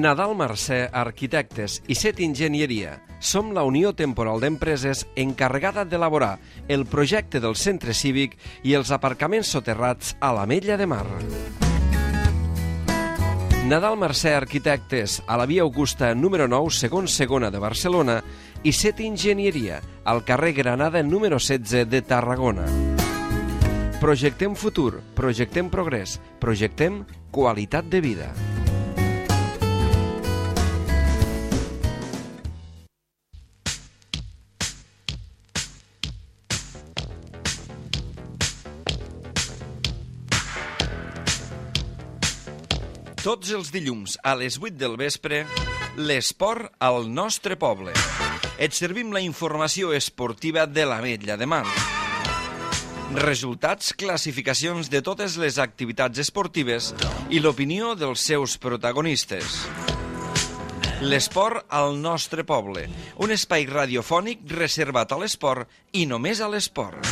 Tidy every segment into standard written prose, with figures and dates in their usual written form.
Nadal Mercè Arquitectes i Set Enginyeria. Som la unió temporal d'empreses encarregada d'elaborar el projecte del centre cívic i els aparcaments soterrats a l'Ametlla de Mar. Nadal Mercè Arquitectes, a la via Augusta número 9, segon segona de Barcelona, i Set Enginyeria, al carrer Granada número 16 de Tarragona. Projectem futur, projectem progrés, projectem qualitat de vida. Tots els dilluns a les 8 del vespre, l'esport al nostre poble. Et servim la informació esportiva de l'Ametlla de Mar. Resultats, classificacions de totes les activitats esportives i l'opinió dels seus protagonistes. L'esport al nostre poble, un espai radiofònic reservat a l'esport i només a l'esport.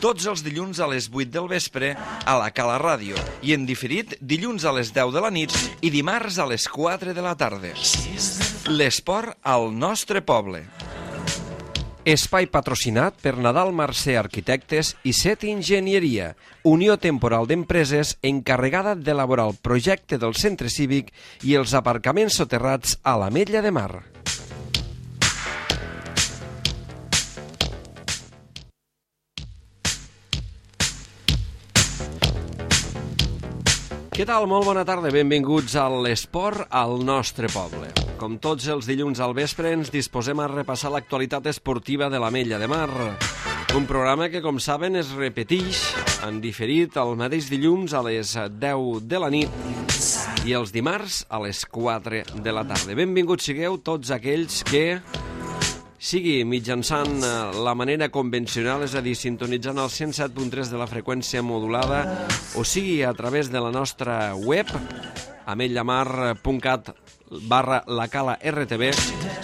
Tots els dilluns a les 8 del vespre a la Cala Ràdio i en diferit dilluns a les 10 de la nit i dimarts a les 4 de la tarda. L'esport al nostre poble. Espai patrocinat per Nadal Mercè Arquitectes i Set Enginyeria, unió temporal d'empreses encarregada d'elaborar el projecte del centre cívic i els aparcaments soterrats a l'Ametlla de Mar. Què tal? Molt bona tarda, benvinguts a l'esport al nostre poble. Com tots els dilluns al vespre ens disposem a repassar l'actualitat esportiva de l'Ametlla de Mar. Un programa que, com saben, es repeteix en diferit el mateix dilluns a les 10 de la nit i els dimarts a les 4 de la tarda. Benvinguts sigueu tots aquells que, sigui mitjançant la manera convencional, és a dir, sintonitzant el 107.3 de la freqüència modulada, o sigui a través de la nostra web, ametllamar.cat/lacala-rtb,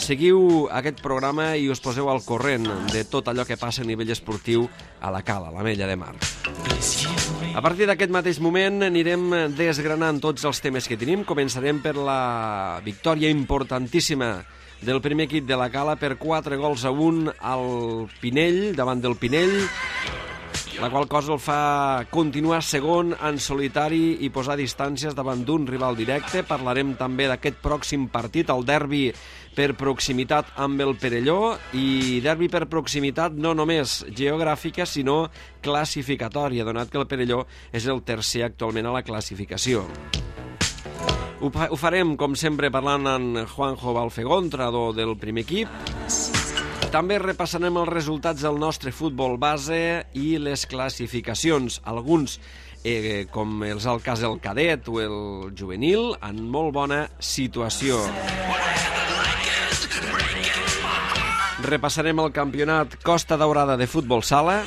seguiu aquest programa i us poseu al corrent de tot allò que passa a nivell esportiu a la Cala, a l'Ametlla de Mar. A partir d'aquest mateix moment anirem desgranant tots els temes que tenim. Començarem per la victòria importantíssima del primer equip de la Cala per 4-1 al Pinell, davant del Pinell, la qual cosa el fa continuar segon en solitari i posar distàncies davant d'un rival directe. Parlarem també d'aquest pròxim partit, el derbi per proximitat amb el Perelló, i derbi per proximitat no només geogràfica, sinó classificatòria, donat que el Perelló és el tercer actualment a la classificació. Ho farem, com sempre, parlant amb Juanjo Balfegó, entrenador del primer equip. També repassarem els resultats del nostre futbol base i les classificacions. Alguns, com és el cas del cadet o el juvenil, en molt bona situació. Repassarem el campionat Costa Daurada de futbol sala.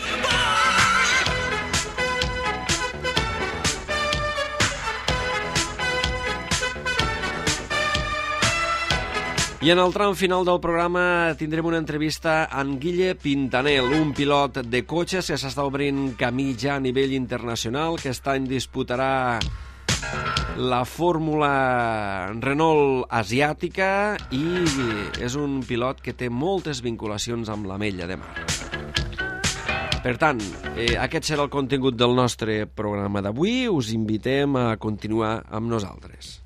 I en el tram final del programa tindrem una entrevista amb Guille Pintanel, un pilot de cotxes que s'està obrint camí ja a nivell internacional, que aquest any disputarà la Fórmula Renault asiàtica i és un pilot que té moltes vinculacions amb l'Ametlla de Mar. Per tant, aquest serà el contingut del nostre programa d'avui. Us invitem a continuar amb nosaltres.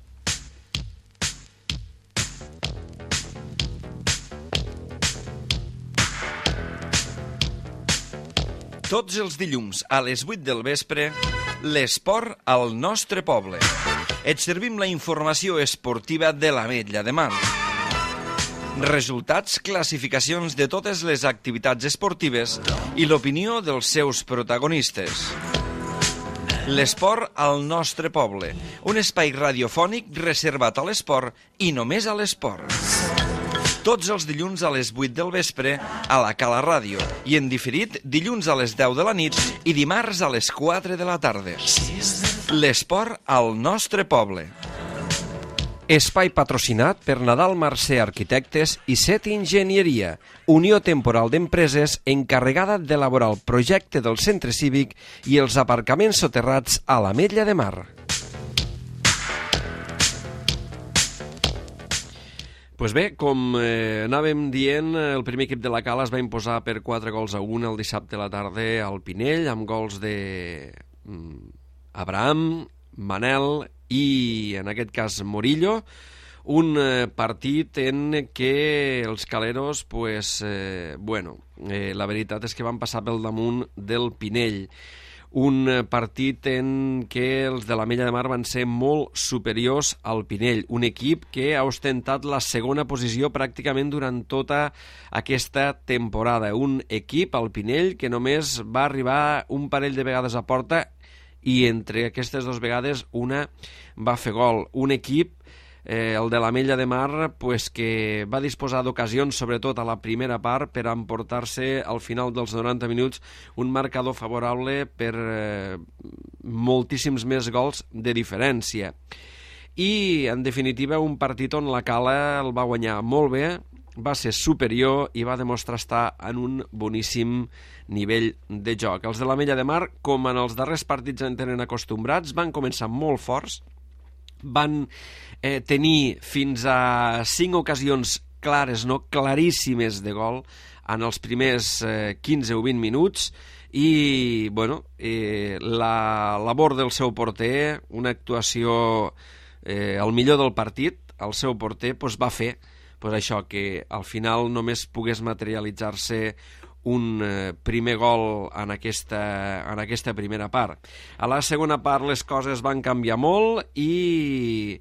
Tots els dilluns a les 8 del vespre, l'esport al nostre poble. Et servim la informació esportiva de l'Ametlla de Mar. Resultats, classificacions de totes les activitats esportives i l'opinió dels seus protagonistes. L'esport al nostre poble, un espai radiofònic reservat a l'esport i només a l'esport. Tots els dilluns a les 8 del vespre a la Cala Ràdio i en diferit dilluns a les 10 de la nit i dimarts a les 4 de la tarda. L'esport al nostre poble. Espai patrocinat per Nadal Mercè Arquitectes i Set Enginyeria, unió temporal d'empreses encarregada d'elaborar el projecte del centre cívic i els aparcaments soterrats a l'Ametlla de Mar. Pues bé, com anàvem dient, el primer equip de la Cala es va imposar per 4-1 el dissabte a la tarda al Pinell, amb gols de Abraham, Manel i, en aquest cas, Morillo. Un partit en què els caleros, la veritat és que van passar pel damunt del Pinell. Un partit en què els de l'Ametlla de Mar van ser molt superiors al Pinell, un equip que ha ostentat la segona posició pràcticament durant tota aquesta temporada. Un equip, al Pinell, que només va arribar un parell de vegades a porta i entre aquestes dues vegades una va fer gol. Un equip, el de l'Ametlla de Mar, que va disposar d'ocasions, sobretot a la primera part, per emportar-se al final dels 90 minuts un marcador favorable per moltíssims més gols de diferència. I, en definitiva, un partit on la Cala el va guanyar molt bé, va ser superior i va demostrar estar en un boníssim nivell de joc. Els de l'Ametlla de Mar, com en els darrers partits en tenen acostumbrats, van començar molt forts, van tenir fins a 5 ocasions clares, no claríssimes de gol en els primers 15 o 20 minuts i la labor del seu porter, una actuació al millor del partit, el seu porter va fer això, que al final només pogués materialitzar-se un primer gol en aquesta primera part. A la segona part les coses van canviar molt i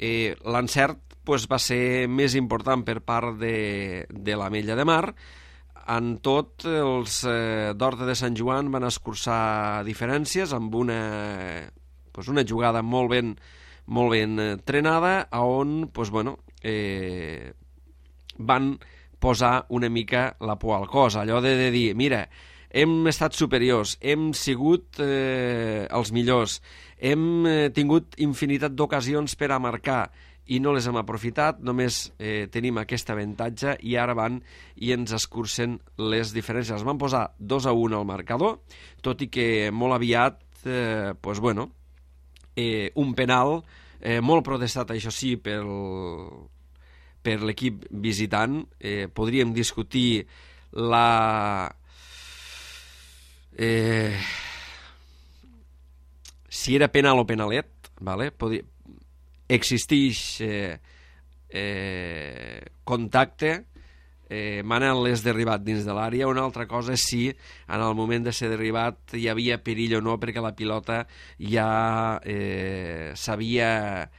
l'encert va ser més important per part de l'Ametlla de Mar. En tot, els d'Horta de Sant Joan van escurçar diferències amb una jugada molt ben trenada, on van posar una mica la por al cos, allò de dir, mira, hem estat superiors, hem sigut els millors, hem tingut infinitat d'ocasions per a marcar i no les hem aprofitat, només tenim aquest avantatge i ara van i ens escurcen les diferències. Van posar 2-1 al marcador, tot i que molt aviat un penal molt protestat, això sí, per l'equip visitant. Podríem discutir si era penal o penalet, existeix contacte, Manel és derribat dins de l'àrea. Una altra cosa és si en el moment de ser derribat hi havia perill o no, perquè la pilota ja s'havia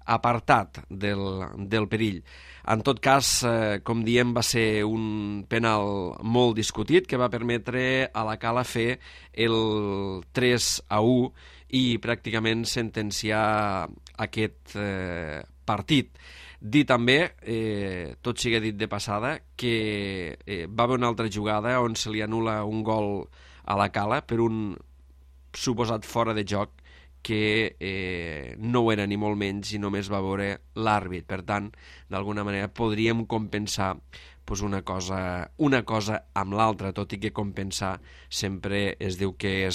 apartat del perill. En tot cas, com diem, va ser un penal molt discutit que va permetre a la Cala fer el 3-1 i pràcticament sentenciar aquest partit. Dir també, tot sigui dit de passada, que va haver una altra jugada on se li anul·la un gol a la Cala per un suposat fora de joc que no ho era ni molt menys i només va veure l'àrbit. Per tant, d'alguna manera podríem compensar una cosa amb l'altra, tot i que compensar sempre es diu que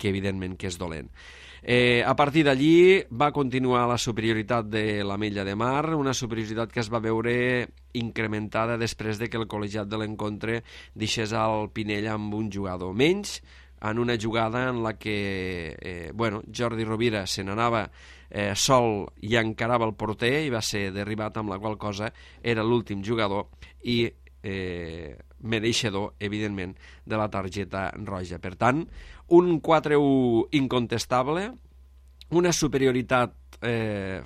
evidentment que és dolent. A partir d'allí va continuar la superioritat de l'Ametlla de Mar, una superioritat que es va veure incrementada després de que el col·legiat de l'encontre deixés al Pinell amb un jugador menys, en una jugada en la que Jordi Rovira se n'anava sol i encarava el porter i va ser derribat, amb la qual cosa era l'últim jugador i mereixedor, evidentment, de la targeta roja. Per tant, un 4-1 incontestable, una superioritat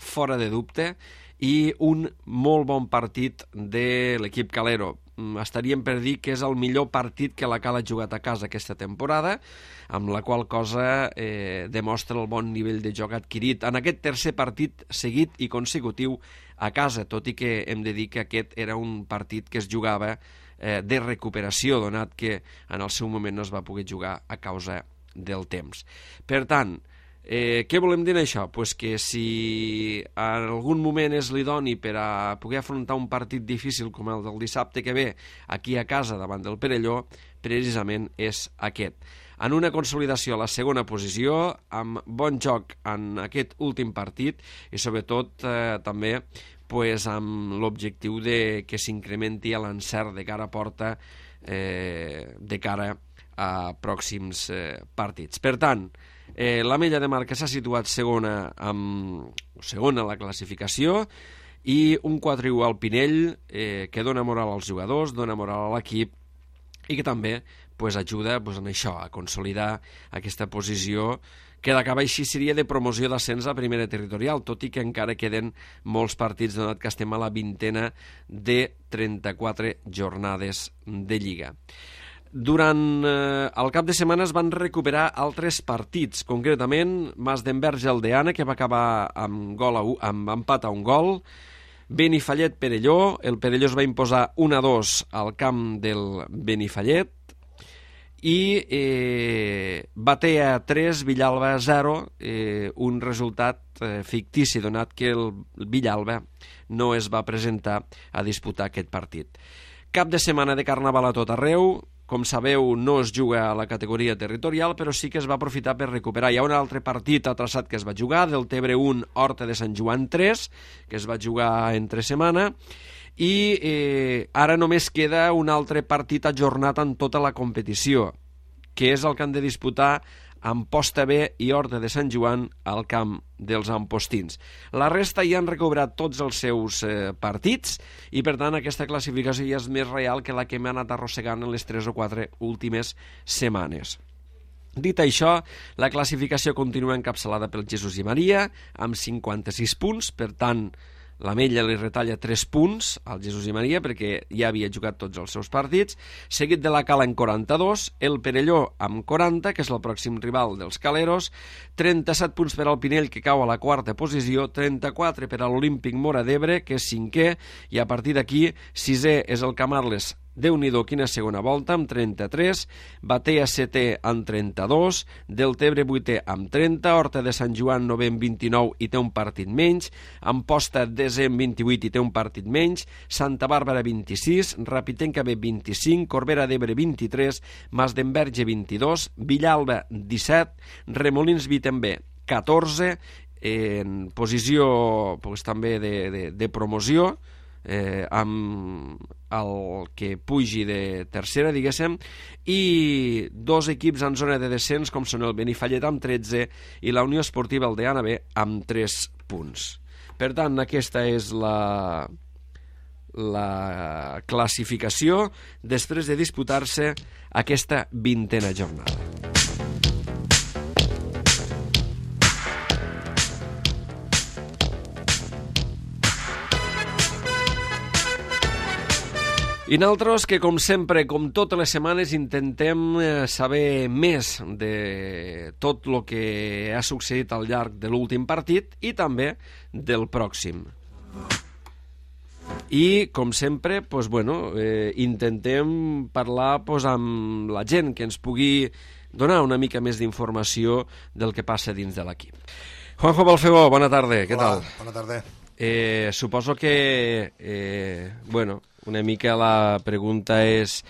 fora de dubte i un molt bon partit de l'equip calero. Estaríem per dir que és el millor partit que la Cala ha jugat a casa aquesta temporada, amb la qual cosa demostra el bon nivell de joc adquirit en aquest tercer partit seguit i consecutiu a casa, tot i que hem de dir que aquest era un partit que es jugava de recuperació, donat que en el seu moment no es va poder jugar a causa del temps. Per tant, què volem dir això? Pues que si en algun moment és l'idoni per a poder afrontar un partit difícil com el del dissabte que ve aquí a casa davant del Perelló, precisament és aquest. En una consolidació a la segona posició, amb bon joc en aquest últim partit i sobretot també amb l'objectiu que s'incrementi l'encert de cara a porta de cara a pròxims partits. Per tant, l'Ametlla de Mar, que s'ha situat segona a la classificació, i un 4-1 al Pinell, que dona moral als jugadors, dona moral a l'equip, i que també ajuda en això, a consolidar aquesta posició que d'acabar així seria de promoció d'ascens a primera territorial, tot i que encara queden molts partits, donat que estem a la 20ena de 34 jornades de Lliga. Durant el cap de setmana es van recuperar altres partits, concretament Mas d'Enverge Aldeana, que va acabar amb empat a un gol, Benifallet-Perelló, el Perelló es va imposar 1-2 al camp del Benifallet, i Batea 3, Villalba 0, un resultat fictici, donat que el Villalba no es va presentar a disputar aquest partit. Cap de setmana de Carnaval a tot arreu. Com sabeu, no es juga a la categoria territorial, però sí que es va aprofitar per recuperar. Hi ha un altre partit atrasat que es va jugar, del Tebre 1, Horta de Sant Joan 3, que es va jugar entre setmana, i ara només queda un altre partit ajornat en tota la competició, que és el que han de disputar Amposta B i Horta de Sant Joan al camp dels ampostins. La resta ja han recuperat tots els seus partits i, per tant, aquesta classificació ja és més real que la que m'ha anat arrossegant en les 3 o 4 últimes setmanes. Dit això, la classificació continua encapçalada pel Jesús i Maria, amb 56 punts, per tant, l'Ametlla li retalla 3 punts al Jesús i Maria perquè ja havia jugat tots els seus partits, seguit de la Cala en 42, el Perelló amb 40, que és el pròxim rival dels Caleros, 37 punts per al Pinell, que cau a la 4a posició, 34 per a l'Olímpic Móra d'Ebre, que és 5è, i a partir d'aquí 6è és el Camarles. Déu-n'hi-do, quina segona volta, amb 33, Batea 7è amb 32, Deltebre 8è amb 30, Horta de Sant Joan 9è amb 29 i té un partit menys, Amposta 10è amb 28 i té un partit menys, Santa Bàrbara 26, Rapitenca B 25, Corbera d'Ebre 23, Mas d'Enverge 22, Villalba 17, Remolins B també 14, en posició també de promoció, amb el que pugi de tercera, diguéssim, i 2 equips en zona de descens, com són el Benifallet amb 13 i la Unió Esportiva Aldeana B amb 3 punts. Per tant, aquesta és la classificació després de disputar-se aquesta 20ª jornada. I nosaltres que, com sempre, com totes les setmanes, intentem saber més de tot el que ha succeït al llarg de l'últim partit i també del pròxim. I, com sempre, intentem parlar amb la gent que ens pugui donar una mica més d'informació del que passa dins de l'equip. Juanjo Balfegó, bona tarda, què tal? Bona tarda. Suposo que, una mica la pregunta és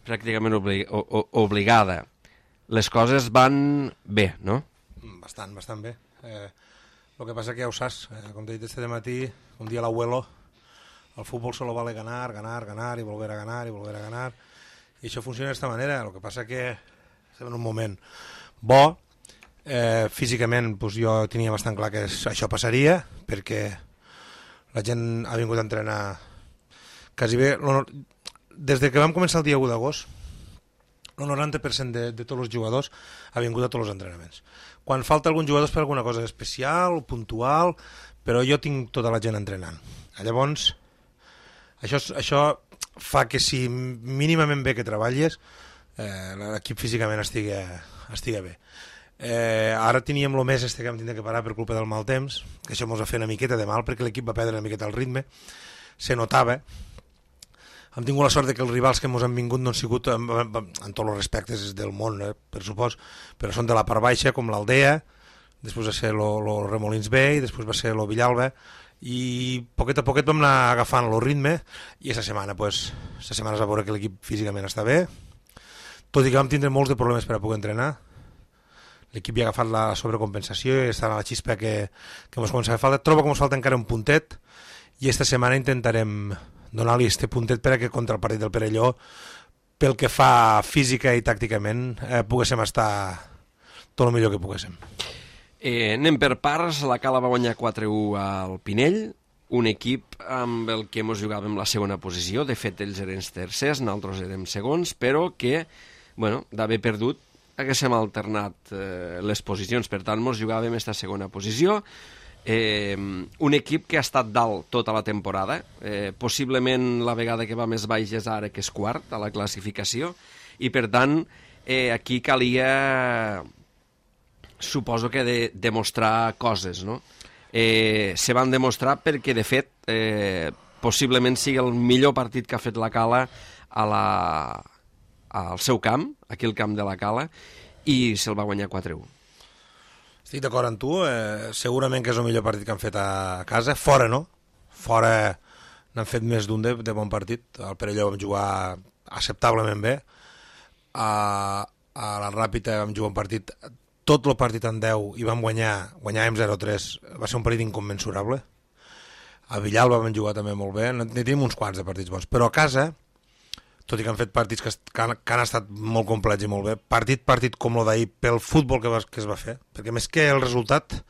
pràcticament obligada. Les coses van bé, no? Bastant bé. El que passa que ja ho saps, com t'he dit este matí, un dia l'abuelo, el fútbol solo vale ganar y volver a ganar y volver a ganar, i això funciona d'esta manera. El que passa que estem en un moment bo, físicament jo tenia bastant clar que això passaria, perquè la gent ha vingut a entrenar quasi bé. Des que vam començar el dia 1 d'agost, el 90% de tots els jugadors ha vingut a tots els entrenaments. Quan falta algun jugador és per alguna cosa especial, puntual, però jo tinc tota la gent entrenant. Llavors, això fa que si mínimament bé que treballes, l'equip físicament estigui bé. Ara teníem el mes que vam tindre que parar per culpa del mal temps, que això ens va fer una miqueta de mal perquè l'equip va perdre una miqueta el ritme, se notava. Hem tingut la sort que els rivals que ens han vingut no han sigut, en tots els respectes del món, per supòs, però són de la part baixa, com l'Aldea, després va ser el Remolins B i després va ser el Villalba, i poquet a poquet vam anar agafant el ritme, i aquesta setmana es va veure que l'equip físicament està bé, tot i que vam tindre molts de problemes per a poder entrenar. L'equip ja ha agafat la sobrecompensació i està a la xispa que ens comença a fer falta. Trobo que ens falta encara un puntet, i esta setmana intentarem donar-li este puntet perquè contra el partit del Perelló, pel que fa física i tàcticament, poguéssim estar tot el millor que poguéssim. Anem per parts. La Cala va guanyar 4-1 al Pinell, un equip amb el que ens jugàvem la segona posició. De fet, ells eren tercers, nosaltres érem segons, però que, bueno, d'haver perdut, haguéssim alternat les posicions. Per tant, ens jugàvem aquesta segona posició. Un equip que ha estat dalt tota la temporada. Possiblement la vegada que va més baix és ara, que és quart a la classificació, i per tant, aquí calia, suposo que demostrar coses, no? Se van demostrar perquè, de fet, possiblement sigui el millor partit que ha fet la Cala al seu camp, aquí al camp de la Cala, i se'l va guanyar 4-1. Estic d'acord amb tu, segurament que és el millor partit que han fet a casa, fora no, fora n'han fet més d'un de bon partit. Al Perelló vam jugar acceptablement bé, a la Ràpita vam jugar un partit, tot el partit en 10 i vam guanyàvem 0-3, va ser un partit inconmensurable. A Villalba vam jugar també molt bé, ne tenim uns quants de partits bons, però a casa, tot i que han fet partits que han estat molt complets i molt bé, partit com el d'ahir, pel futbol que es va fer, perquè més que el resultat,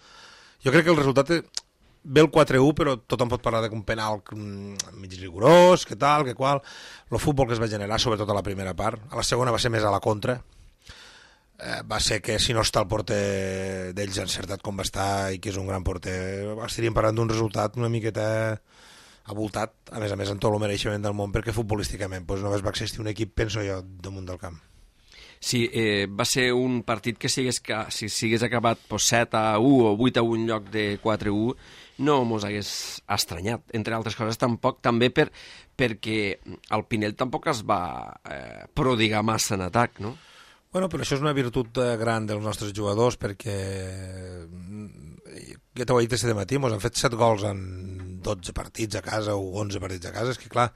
jo crec que el resultat ve el 4-1, però tothom pot parlar d'un penal mig rigorós, que tal, que qual, el futbol que es va generar, sobretot a la primera part, a la segona va ser més a la contra, va ser que si no està el porter d'ells encertat com va estar i que és un gran porter, estaríem parlant d'un resultat una miqueta avoltat, a més en tot el mereixement del món, perquè futbolísticament només va existir un equip, penso jo, damunt del camp. Sí, va ser un partit que si hagués acabat 7-1 o 8-1 en lloc de 4-1 no mos hagués estranyat, entre altres coses tampoc, també perquè el Pinell tampoc es va prodigar massa en atac, no? Bueno, però això és una virtut gran dels nostres jugadors, perquè ja t'ho he dit aquest matí, ens han fet 7 gols en 12 partits a casa o 11 partits a casa, és que clar,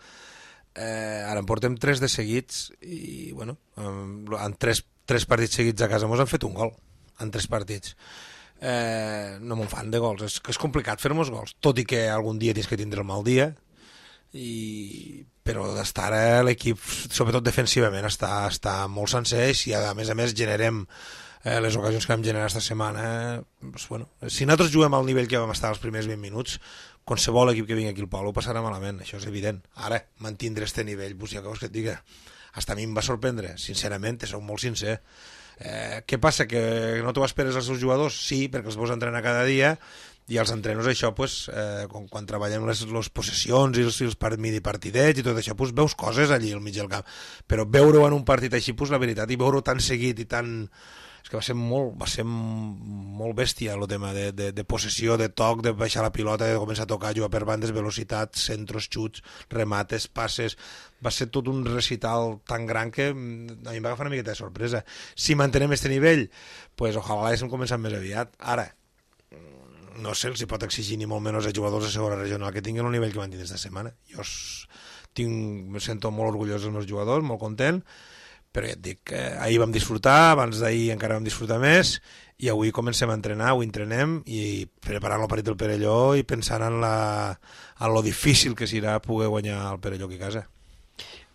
ara en portem 3 de seguits i bueno, en 3 partits seguits a casa ens han fet un gol en 3 partits. No me'n fan de gols, és complicat fer-nos gols, tot i que algun dia tens que tindre el mal dia, però d'estar ara l'equip, sobretot defensivament, està molt sencer, i a més generem les ocasions que vam generar aquesta setmana, si nosaltres juguem al nivell que vam estar els primers 20 minuts, qualsevol equip que vingui aquí al Polo passarà malament, això és evident. Ara, mantindre aquest nivell, ja que vols que et diga, hasta a mi em va sorprendre, sincerament, soc molt sincer. Què passa, que no t'ho esperes als seus jugadors? Sí, perquè els veus entrenar cada dia, i els entrenos això, quan treballem les possessions i els mini-partidets i tot això, veus coses allí al mig del camp, però veure-ho en un partit així, la veritat, i veure-ho tan seguit i tan... És que va ser molt bèstia el tema de possessió, de toc, de baixar la pilota, de començar a tocar, jugar per bandes, velocitat, centros, xuts, remates, passes... Va ser tot un recital tan gran que a mi em va agafar una miqueta de sorpresa. Si mantenem aquest nivell, ojalà l'haguéssim començat més aviat. Ara, no sé, els hi pot exigir ni molt menys a jugadors de segona regional que tinguin el nivell que van tenir aquesta setmana. Jo me sento molt orgullós dels meus jugadors, molt content, però ja et dic que ahir vam disfrutar, abans d'ahir encara vam disfrutar més, i avui comencem a entrenar, avui entrenem, i preparant el partit del Perelló i pensant en lo difícil que serà poder guanyar el Perelló aquí a casa.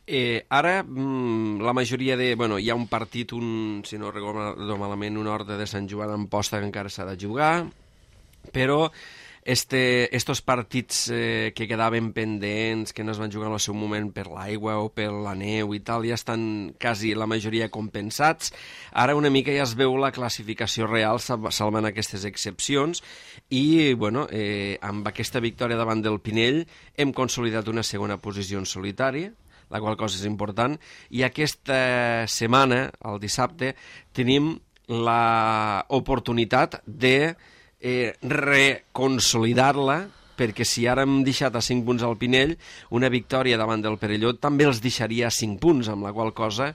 Ara, la majoria de... hi ha un partit, si no recordo malament, un Horta de Sant Joan en posta que encara s'ha de jugar, però estos partits que quedaven pendents, que no es van jugar en el seu moment per l'aigua o per la neu i tal, ja estan quasi la majoria compensats. Ara una mica ja es veu la classificació real salvant aquestes excepcions i, amb aquesta victòria davant del Pinell hem consolidat una segona posició en solitari, la qual cosa és important, i aquesta setmana, el dissabte, tenim l'oportunitat de reconsolidar-la, perquè si ara hem deixat a 5 punts al Pinell, una victòria davant del Perelló també els deixaria a 5 punts, amb la qual cosa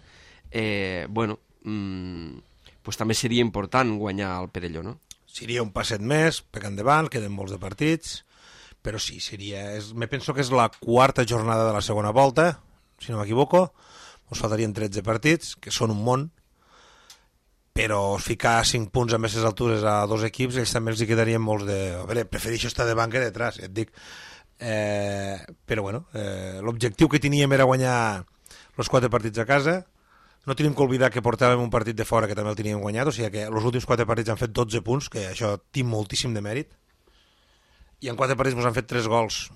també seria important guanyar el Perelló, no? Seria un passet més, per endavant, queden molts de partits, però sí, me penso que és la 4ª jornada de la segona volta, si no m'equivoco, ens faltarien 13 partits, que són un món, però ficar 5 punts amb aquestes altures a 2 equips, ells també els hi quedarien molts de... A veure, prefereixo estar de banca detrás, et dic. però bueno, l'objectiu que teníem era guanyar els 4 partits a casa. No tenim que oblidar que portàvem un partit de fora que també el teníem guanyat, o sigui que els últims 4 partits han fet 12 punts, que això té moltíssim de mèrit, i en 4 partits ens han fet 3 gols,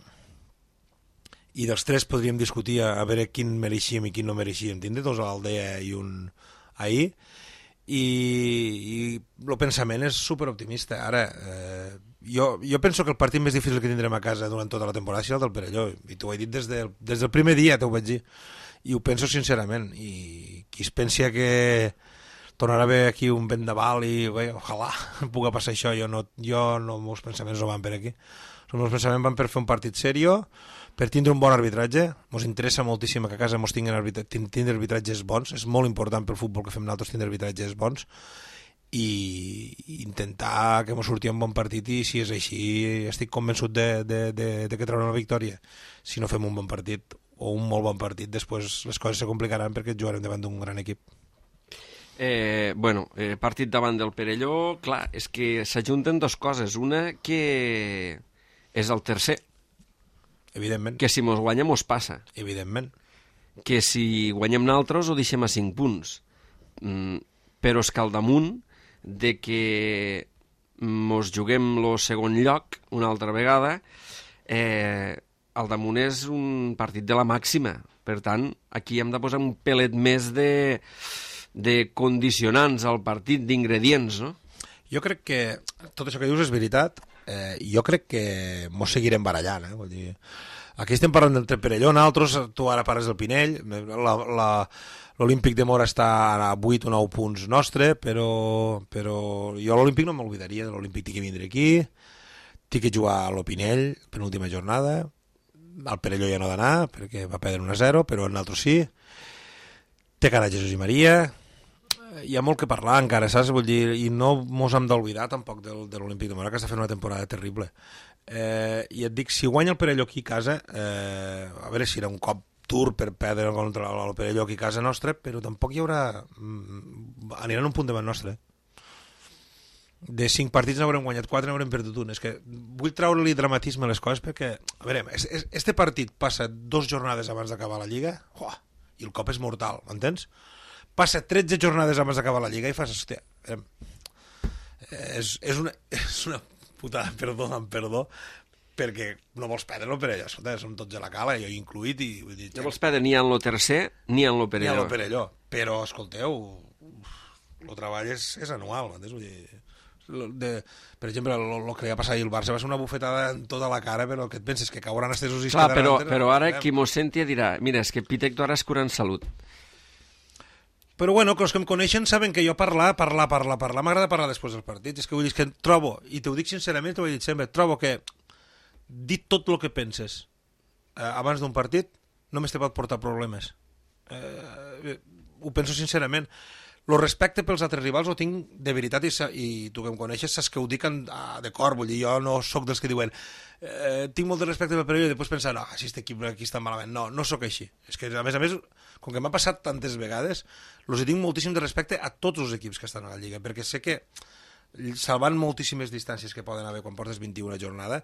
i dels 3 podríem discutir a veure quin mereixíem i quin no mereixíem. Tindre 2 a l'Aldea i un ahir, i el pensament és superoptimista. Ara, jo penso que el partit més difícil que tindrem a casa durant tota la temporada serà el del Perelló, i t'ho he dit des del primer dia, t'ho vaig dir, i ho penso sincerament, i qui es pensa que tornarà a haver aquí un vendaval i bé, ojalà pugui passar això, jo no, els meus pensaments no van per aquí, els meus pensaments van per fer un partit seriós, per tindre un bon arbitratge. Ens interessa moltíssim que a casa ens tindre arbitratges bons, és molt important pel futbol que fem nosaltres tindre arbitratges bons, i intentar que ens surti un bon partit, i si és així estic convençut de que traurem la victòria. Si no fem un bon partit o un molt bon partit, després les coses se complicaran perquè jugarem davant d'un gran equip. Partit davant del Perelló, clar, és que s'ajunten 2 coses. Una, que és el tercer, Evidentment. que si mos guanya mos passa, Evidentment. que si guanyem naltros ho deixem a 5 punts, però és que al damunt de que mos juguem el segon lloc una altra vegada, al damunt és un partit de la màxima. Per tant, aquí hem de posar un pelet més de condicionants al partit, d'ingredients, no? Jo crec que tot això que dius és veritat. Jo crec que mos seguirem barallant, vull dir, aquí estem parlant del Perelló, nosaltres, tu ara parles del Pinell, l'Olímpic de Mora està a 8 o 9 punts nostre, però jo l'Olímpic no m'oblidaria, l'Olímpic té que vindre aquí, té que jugar a l'Opinell penúltima jornada, al Perelló ja no ha d'anar perquè va perdre 1-0, però nosaltres sí, té cara Jesús i Maria, hi ha molt que parlar encara, saps? Vull dir, i no mos hem d'oblidar tampoc de l'Olímpic de Mora, que està fent una temporada terrible. I et dic, si guanya el Perelló aquí a casa, a veure si era un cop dur per perdre contra el Perelló aquí a casa nostra, però tampoc hi haurà... aniran un punt davant nostre. De 5 partits n'haurem guanyat 4, n'haurem perdut un. És que vull treure-li dramatisme a les coses perquè, a veure, este partit passa 2 jornades abans d'acabar la Lliga, i el cop és mortal, m'entens? Passa 13 jornades abans d'acabar la Lliga i fas, hòstia, és una putada, perdó, perquè no vols perdre el Perelló, escolta, som tots a la cala, jo incluït, i vull dir... No vols perdre ni en lo tercer ni en lo Perelló. Ni en lo Perelló, però, escolteu, el treball és anual, m'entens? Vull dir, per exemple, el que li va passar ahir al Barça va ser una bufetada en tota la cara, però què et penses, que cauran estesos i es quedaran... Clar, però ara qui mos senti dirà, mira, és que Pitecto ara és curant salut. Però bueno, que els que em coneixen saben que jo parlar, m'agrada parlar després del partit. És que vull dir que trobo, i t'ho dic sincerament, t'ho he dit sempre, trobo que dir tot el que penses abans d'un partit només te pot portar problemes. Ho penso sincerament. El respecte pels altres rivals ho tinc de veritat, i tu que em coneixes saps que ho dic de cor, vull dir, jo no sóc dels que diuen tinc molt de respecte pel Perelló i després pensar, no, si aquest equip aquí està malament. No sóc així. És que a més, com que m'ha passat tantes vegades, els tinc moltíssim de respecte a tots els equips que estan a la Lliga, perquè sé que salvant moltíssimes distàncies que poden haver quan portes 21 jornada,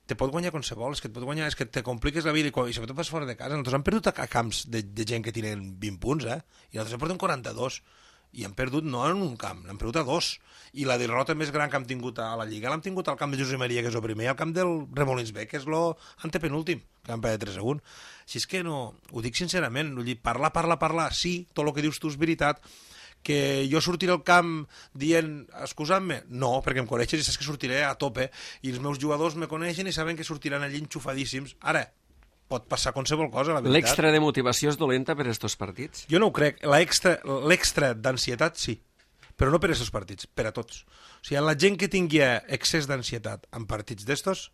te pot guanyar qualsevol, és que et pot guanyar, és que te compliques la vida, i sobretot vas fora de casa. Nosaltres hem perdut a camps de gent que tenen 20 punts, i nosaltres en portem 42, i hem perdut no en un camp, l'hem perdut a 2, i la derrota més gran que hem tingut a la Lliga l'hem tingut al camp de Josep Maria, que és el primer, i al camp del Remolins B, que és l'antepenúltim, que vam perdre 3-1. Així és que no, ho dic sincerament, vull dir, parlar, sí, tot el que dius tu és veritat, que jo sortiré al camp dient, excusant-me? No, perquè em coneixes i saps que sortiré a tope, i els meus jugadors me coneixen i saben que sortiran allí enxufadíssims. Ara, pot passar qualsevol cosa, la veritat. L'extra de motivació és dolenta per estos partits? Jo no ho crec. L'extra d'ansietat, sí, però no per estos partits, per a tots. O sigui, la gent que tingui excés d'ansietat en partits d'estos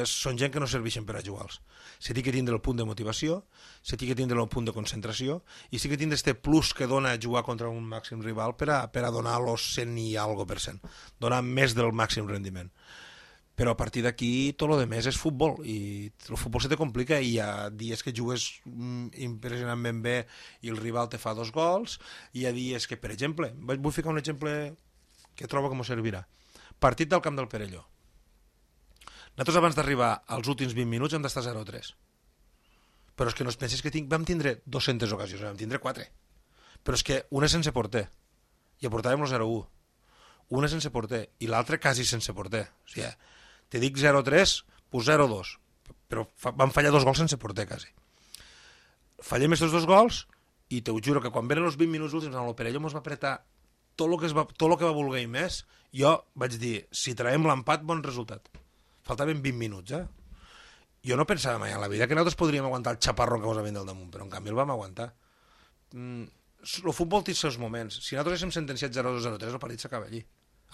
són gent que no serveixen per a jugar-los. Se té que tindre el punt de motivació, se té que tindre el punt de concentració, i sí que tindre este plus que dona jugar contra un màxim rival per a donar los 100 i algo per cent, donar més del màxim rendiment. Però a partir d'aquí tot el més és futbol, i el futbol se te complica, i hi ha dies que jugues impressionantment bé i el rival te fa 2 gols, i hi ha dies que, per exemple, vull ficar un exemple que trobo que m'ho servirà. Partit del camp del Perelló. Nosaltres abans d'arribar als últims 20 minuts hem d'estar 0-3. Però és que no es penses que vam tindre 200 ocasions, vam tindre 4. Però és que una sense porter, i aportàvem el 0-1. Una sense porter, i l'altra quasi sense porter. O sigui, te dic 0-3, pues 0-2. Però van fallar 2 gols sense porter, quasi. Fallem aquests 2 gols, i te ho juro que quan venen els 20 minuts últims, el Perelló ens va apretar tot el que va voler i més. Jo vaig dir, si traiem l'empat, bon resultat. Faltaven 20 minuts, Jo no pensava mai en la vida que nosaltres podríem aguantar el xaparró que ens havien del damunt, però en canvi el vam aguantar. El futbol té els seus moments. Si nosaltres haguéssim sentenciat 0-2-0-3, el partit s'acaba allí.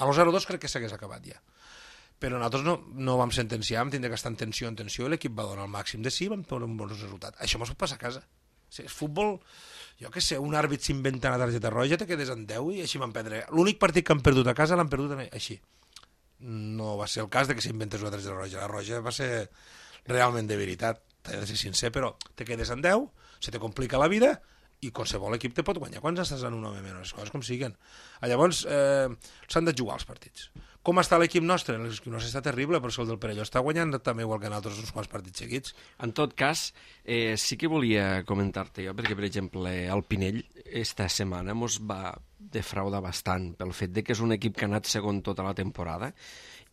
A los 0-2 crec que s'hagués acabat ja. Però nosaltres no vam sentenciar, vam tindre que estar en tensió, i l'equip va donar el màxim de sí i vam tenir un bon resultat. Això mos pot passar a casa. O sigui, el futbol, jo què sé, un àrbit s'inventa una targeta roja, te quedes en 10 i així van perdre. L'únic partit que han perdut a casa l'han perdut així. No va ser el cas de que s'inventés una targeta roja. La roja va ser realment de veritat, t'he de ser sincer, però te quedes en 10, se te complica la vida i qualsevol equip te pot guanyar quan estàs en un home menys, les coses com siguen. Llavors, s'han de jugar els partits. Com està l'equip nostre? L'equip nostre està terrible, però el del Perelló està guanyant també igual que nosaltres uns quants partits seguits. En tot cas, sí que volia comentar-te jo, perquè, per exemple, el Pinell esta setmana mos va defraudar bastant pel fet de que és un equip que ha anat segon tota la temporada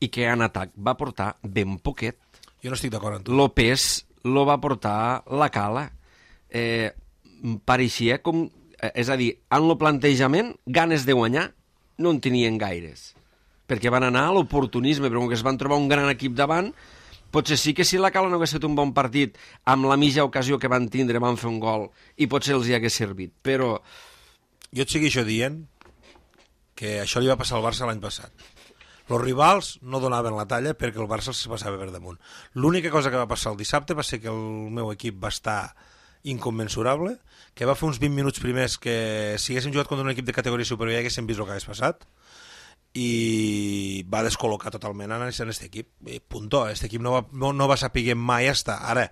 i que en atac va portar ben poquet. Jo no estic d'acord amb tu. López lo va portar la Cala. Pareixia com... És a dir, en el plantejament, ganes de guanyar no en tenien gaires, perquè van anar a l'oportunisme, però com que es van trobar un gran equip davant, potser sí que si la Cala no hagués fet un bon partit, amb la mitja ocasió que van tindre van fer un gol, i potser els hi hagués servit, però... Jo et segueixo dient que això li va passar al Barça l'any passat. Els rivals no donaven la talla perquè el Barça els passava per damunt. L'única cosa que va passar el dissabte va ser que el meu equip va estar incommensurable, que va fer uns 20 minuts primers que si haguéssim jugat contra un equip de categoria superior ja haguéssim vist el que hagués passat, i va descol·locar totalment en aquest equip. Punto. Aquest equip no va saber mai estar. Ara,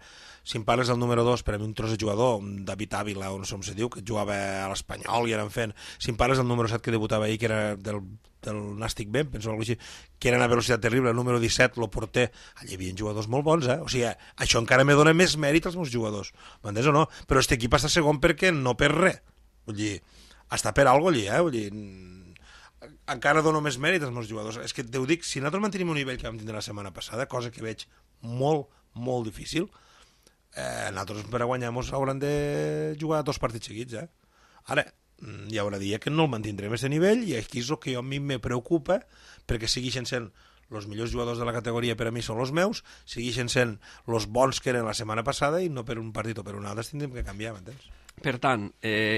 si em parles del número 2, per a mi un tros de jugador, un David Ávila, o no sé com se diu, que jugava a l'Espanyol i eren fent... Si em parles del número 7 que debutava ahir, que era del Nàstic Ben, penso alguna cosa així, que era una velocitat terrible, el número 17, el porter, allà hi havia jugadors molt bons, O sigui, això encara me dona més mèrit als meus jugadors. M'entens o no? Però aquest equip està segon perquè no per res. Vull dir, està per alguna cosa allí, Vull dir, encara dono més mèrit als meus jugadors. És que te ho dic, si nosaltres mantenim un nivell que vam tindre la setmana passada, cosa que veig molt, molt difícil, nosaltres per a guanyar hauran de jugar 2 partits seguits. Ara, hi haurà dia que no el mantindrem aquest nivell, i aquí és el que a mi me preocupa, perquè segueixen sent els millors jugadors de la categoria, per a mi són els meus, segueixen sent els bons que eren la setmana passada, i no per un partit o per un altre tindrem que canviar, m'entens? Per tant,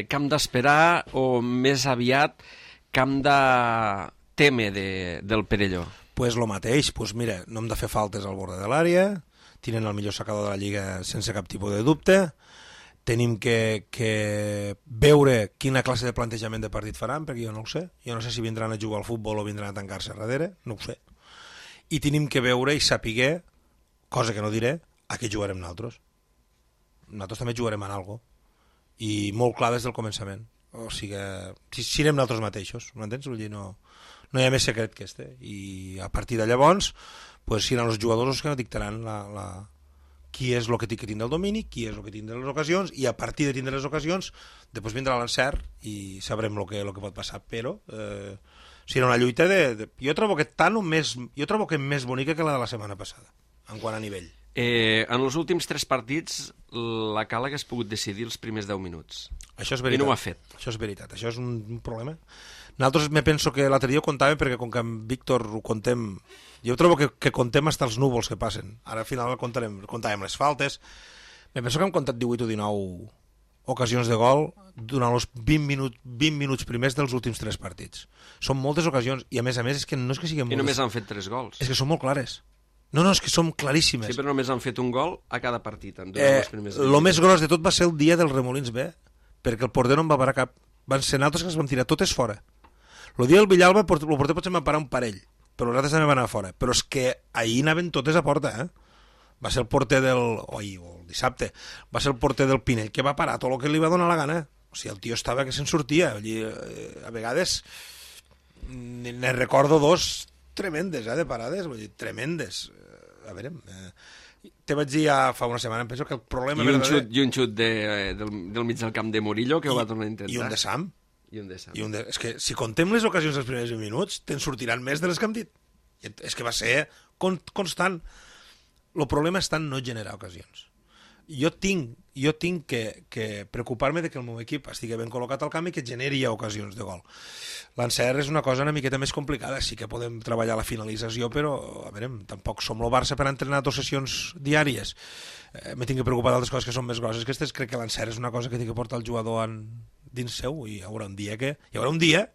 camp d'esperar o més aviat camp de teme del Perelló? Pues lo mateix, pues mira, no hem de fer faltes al bord de l'àrea, tenen el millor sacador de la Lliga sense cap tipus de dubte, tenim que veure quina classe de plantejament de partit faran, perquè jo no ho sé. Jo no sé si vindran a jugar al futbol o vindran a tancar-se darrere, no ho sé. I tenim que veure i saber, cosa que no diré, a què jugarem nosaltres. Nosaltres també jugarem en algo, i molt clar des del començament. O sigui, si anem nosaltres mateixos, m'entens? Vull dir, no hi ha més secret que este. I a partir de llavors, pues, seran els jugadors els que dictaran qui és el que té que tindre el domini, qui és el que tindrà les ocasions, i a partir de tindre les ocasions després vindrà l'encert i sabrem el que pot passar, però serà una lluita jo trobo que més bonica que la de la setmana passada en quant a nivell. En els últims 3 partits la Cala hagués pogut decidir els primers 10 minuts. Això és veritat. I no ho ha fet. Això és veritat, això és un problema. Nosaltres me penso que l'altre dia ho contàvem, perquè com que amb Víctor ho contem, jo trobo que contem fins als núvols que passen. Ara al final contàvem les faltes. Me penso que hem comptat 18 o 19 ocasions de gol durant els 20 minuts primers dels últims 3 partits. Són moltes ocasions, i a més és que no és que siguin moltes. I només han fet 3 gols. És que són molt clares. No, és que són claríssimes. Sí, però només han fet un gol a cada partit. El més gros de tot va ser el dia del Remolins B, perquè el porter no en va parar cap. Van ser nosaltres que les vam tirar totes fora. El dia del Villalba el porter potser va parar un parell, però els altres també van anar fora. Però és que ahir anaven totes a porta, Va ser el porter o el dissabte, va ser el porter del Pinell que va parar tot el que li va donar la gana. O sigui, el tio estava que se'n sortia. A vegades ne recordo 2 tremendes, de parades, vull dir, tremendes. a veure, te vaig dir ja fa una setmana, em penso que el problema... I un xut del mig del camp de Murillo, que ho va tornar a intentar. I un de Sam. És que si contem les ocasions dels primers 20 minuts, te'n sortiran més de les que hem dit. És que va ser constant. El problema està en no generar ocasions. Jo tinc que preocupar-me de que el meu equip estigui ben col·locat al camp i que generi ocasions de gol. L'encert és una cosa una miqueta més complicada, sí que podem treballar la finalització, però a veure, tampoc som el Barça per entrenar 2 sessions diàries. Me tinc que preocupar d'altres coses que són més grosses que aquestes. Crec que l'encert és una cosa que té que portar el jugador dins seu, i hi haurà un dia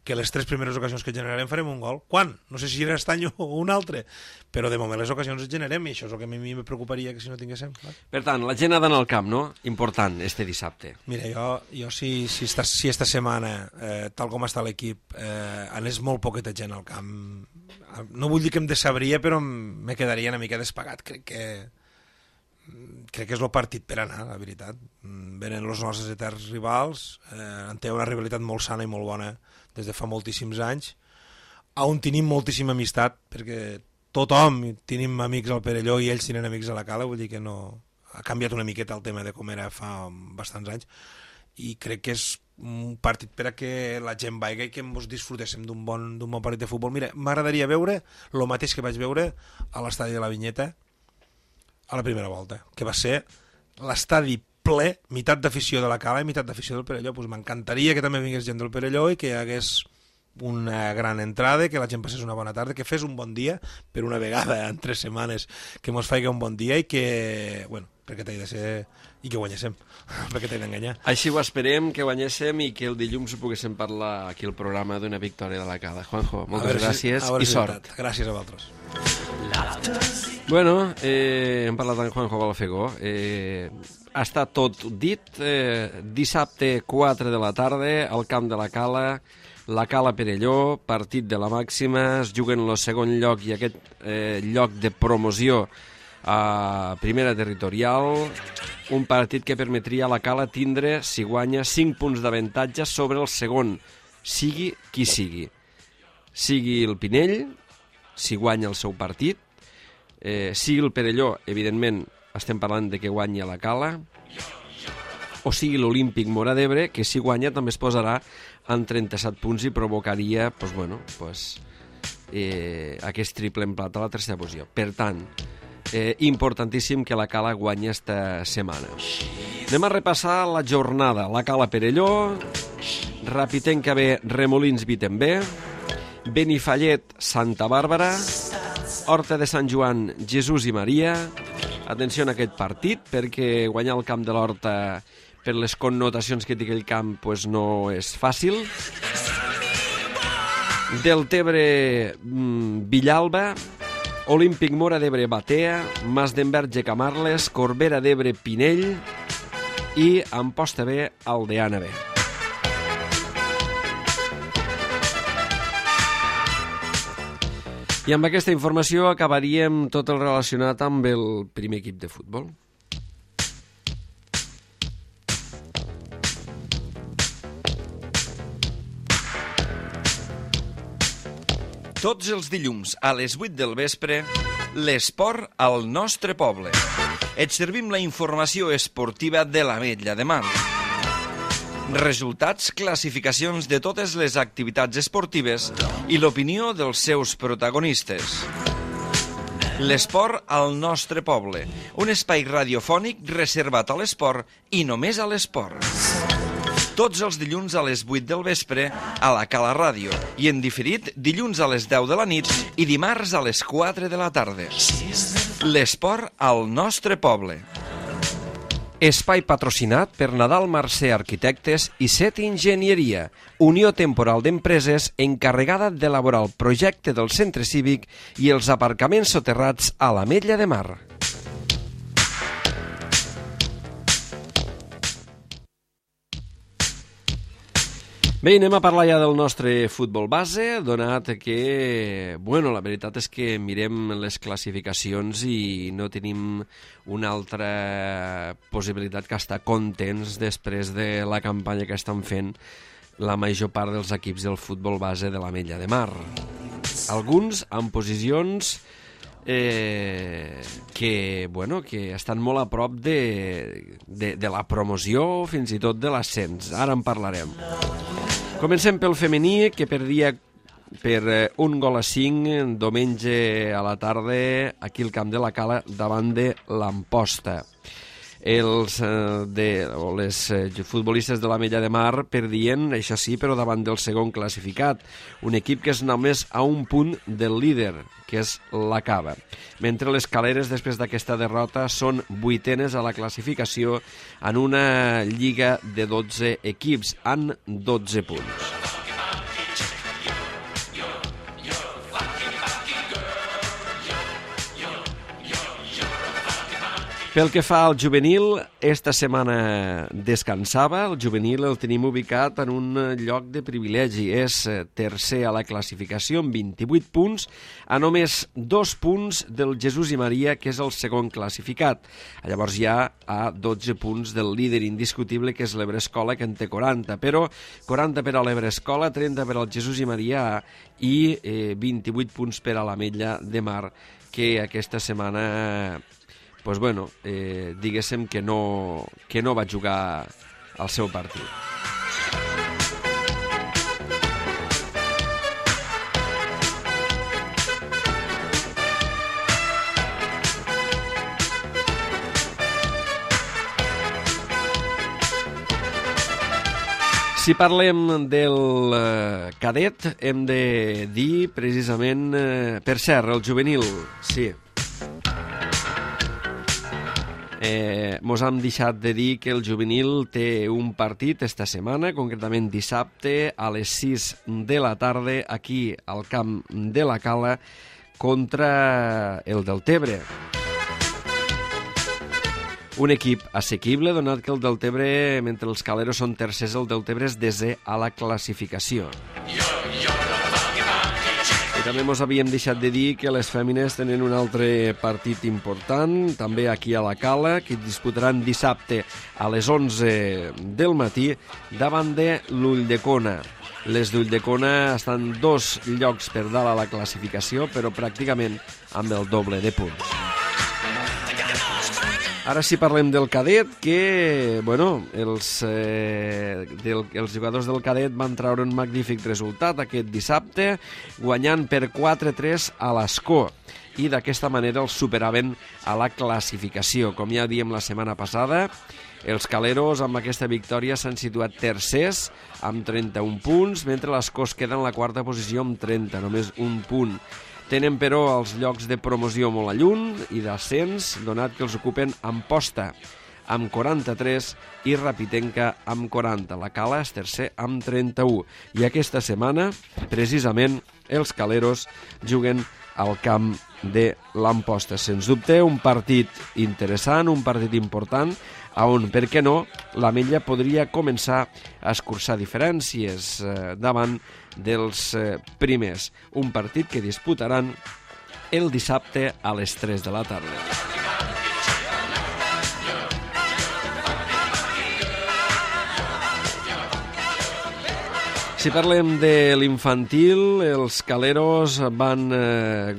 que les 3 primeres ocasions que generarem farem un gol. Quan? No sé si serà aquest any o un altre, però de moment les ocasions les generem, i això és el que a mi me preocuparia que si no tinguéssim. Per tant, la gent ha d'anar al camp, no? Important, este dissabte. Mira, jo si esta setmana, tal com està l'equip, anés molt poqueta gent al camp, no vull dir que em decebria, però me quedaria una mica despagat. Crec que és el partit per anar, la veritat. Venen els nostres eterns rivals, en té una rivalitat molt sana i molt bona des de fa moltíssims anys, on tenim moltíssima amistat, perquè tothom tenim amics al Perelló i ells tenen amics a la Cala, vull dir que no ha canviat una miqueta el tema de com era fa bastants anys, i crec que és un partit per a que la gent vaiga i que ens disfrutéssim d'un bon partit de futbol. Mira, m'agradaria veure el mateix que vaig veure a l'estadi de la Vinyeta a la primera volta, que va ser l'estadi ple, meitat d'afició de la Cala i meitat d'afició del Perelló. Pues m'encantaria que també vingués gent del Perelló i que hi hagués una gran entrada, que la gent passés una bona tarda, que fes un bon dia, per una vegada en 3 setmanes, que mos faci un bon dia i que, bueno, perquè t'hi de ser, i que guanyéssim, perquè t'hi d'enganyar. Així ho esperem, que guanyéssim i que el dilluns ho poguéssim parlar aquí al programa d'una victòria de la Cala. Juanjo, moltes gràcies i sort. Gràcies a vosaltres. Bueno, hem parlat amb Juanjo Balfegó. Està tot dit. Dissabte 4 de la tarda al camp de la Cala Perelló, partit de la màxima, es juguen el segon lloc i aquest lloc de promoció a primera territorial, un partit que permetria a la Cala tindre, si guanya, 5 punts d'avantatge sobre el segon, sigui qui sigui. Sigui el Pinell, si guanya el seu partit, sigui el Perelló, evidentment estem parlant de que guanyi a la Cala, o sigui l'Olímpic Móra d'Ebre, que si guanya també es posarà en 37 punts i provocaria aquest triple emplat a la tercera posició. Per tant, importantíssim que la Cala guanyi esta setmana. Anem a repassar la jornada. La Cala Perelló, Rapitenca B, Remolins Vitember, Benifallet, Santa Bàrbara, Horta de Sant Joan, Jesús i Maria. Atenció en aquest partit, perquè guanyar el camp de l'Horta per les connotacions que té aquell camp no és fàcil. Deltebre, Villalba, Olímpic Móra d'Ebre, Batea, Mas d'Enverge, Camarles, Corbera d'Ebre, Pinell i Amposta B, Aldeana B. I amb aquesta informació acabaríem tot el relacionat amb el primer equip de futbol. Tots els dilluns a les 8 del vespre, l'esport al nostre poble. Et servim la informació esportiva de l'Ametlla de Mar. Resultats, classificacions de totes les activitats esportives i l'opinió dels seus protagonistes. L'esport al nostre poble, un espai radiofònic reservat a l'esport i només a l'esport. Tots els dilluns a les 8 del vespre a la Cala Ràdio i en diferit dilluns a les 10 de la nit i dimarts a les 4 de la tarda. L'esport al nostre poble. Espai patrocinat per Nadal Mercè Arquitectes i Set Enginyeria, Unió Temporal d'Empreses encarregada d'elaborar el projecte del centre cívic i els aparcaments soterrats a l'Ametlla de Mar. Bé, anem a parlar ja del nostre futbol base, donat que, la veritat és que mirem les classificacions i no tenim una altra possibilitat que estar contents després de la campanya que estan fent la major part dels equips del futbol base de l'Ametlla de Mar. Alguns en posicions que estan molt a prop de la promoció, fins i tot de l'ascens. Ara en parlarem. Comencem pel femení, que perdia per 1-5 diumenge a la tarda aquí al camp de la Cala davant de l'Amposta. Les futbolistes de l'Ametlla de Mar perdien, això sí, però davant del segon classificat, un equip que és només a un punt del líder, que és la Cava. Mentre les Caleres, després d'aquesta derrota, són 8enes a la classificació en una lliga de 12 equips, amb 12 punts. Pel que fa al juvenil, esta setmana descansava. El juvenil el tenim ubicat en un lloc de privilegi. És tercer a la classificació amb 28 punts, a només 2 punts del Jesús i Maria, que és el segon classificat. Llavors ja a 12 punts del líder indiscutible, que és l'Ebrescola, que en té 40. Però 40 per a l'Ebrescola, 30 per al Jesús i Maria i 28 punts per a l'Ametlla de Mar, que aquesta setmana... diguéssim que no va jugar el seu partit. Si parlem del cadet, hem de dir precisament... per cert, el juvenil, sí... mos hem deixat de dir que el juvenil té un partit esta setmana, concretament dissabte a les 6 de la tarda aquí al camp de la Cala contra el Deltebre. Un equip assequible, donat que el Deltebre, mentre els caleros són tercers, el Deltebre és desè a la classificació. I també ens havíem deixat de dir que les fèmines tenen un altre partit important, també aquí a la Cala, que disputaran dissabte a les 11 del matí davant de l'Ulldecona. Les d'Ulldecona estan 2 llocs per dalt a la classificació, però pràcticament amb el doble de punts. Ara sí parlem del cadet, que els jugadors del cadet van treure un magnífic resultat aquest dissabte, guanyant per 4-3 a l'Escó, i d'aquesta manera els superaven a la classificació. Com ja diem la setmana passada, els caleros amb aquesta victòria s'han situat tercers amb 31 punts, mentre l'Escó es queda en la quarta posició amb 30, només un punt. Tenen, però, els llocs de promoció molt a lluny i d'ascens, donat que els ocupen Amposta, amb 43, i Rapitenca, amb 40. La Cala és tercer, amb 31. I aquesta setmana, precisament, els caleros juguen al camp de l'Amposta. Sens dubte, un partit interessant, un partit important, on, per què no, l'Ametlla podria començar a escurçar diferències davant dels primers. Un partit que disputaran el dissabte a les 3 de la tarda. Si parlem de l'infantil, els caleros van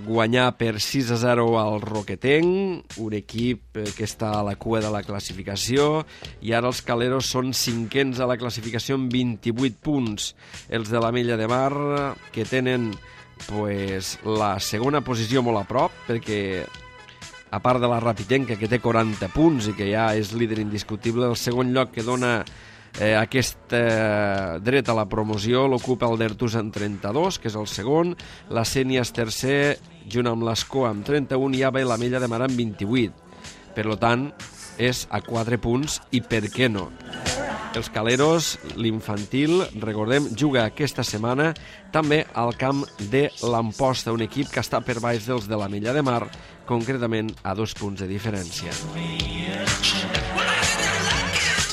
guanyar per 6-0 al Roquetenc, un equip que està a la cua de la classificació, i ara els caleros són 5ens a la classificació amb 28 punts. Els de l'Ametlla de Mar, que tenen la segona posició molt a prop, perquè a part de la Rapitenca, que té 40 punts i que ja és líder indiscutible, el segon lloc que dona aquest dret a la promoció l'ocupa el Dertus amb 32, que és el segon, la Sénia és tercer, junt amb l'Escó amb 31, i ja ve l'Ametlla de Mar amb 28. Per tant, és a 4 punts, i per què no? Els caleros, l'infantil, recordem, juga aquesta setmana també al camp de l'Amposta, un equip que està per baix dels de l'Ametlla de Mar, concretament a 2 punts de diferència.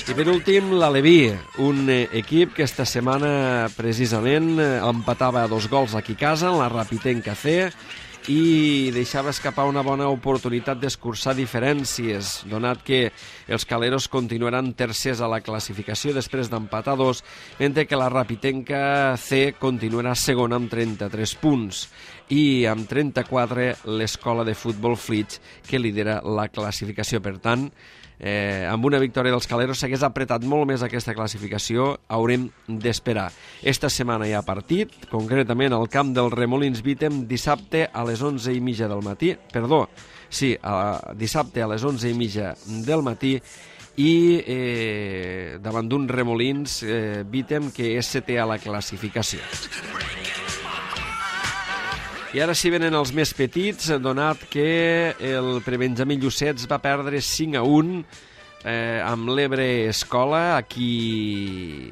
I per últim, l'Aleví, un equip que esta setmana precisament empatava a 2 gols aquí a casa, en la Rapitenca C, i deixava escapar una bona oportunitat d'escurçar diferències, donat que els caleros continuaran tercers a la classificació després d'empatar 2, mentre que la Rapitenca C continuarà segona amb 33 punts. i amb 34 l'Escola de Futbol Flix, que lidera la classificació. Per tant, amb una victòria dels Caleros s'hagués apretat molt més aquesta classificació, haurem d'esperar. Esta setmana hi ha partit, concretament al camp del Remolins Vítem, dissabte a les 11:30 del matí, dissabte a les 11:30 del matí, i davant d'un Remolins Vítem que és setè a la classificació. I ara sí venen els més petits, donat que el prebenjamí Llucets va perdre 5-1 amb l'Ebre Escola. Aquí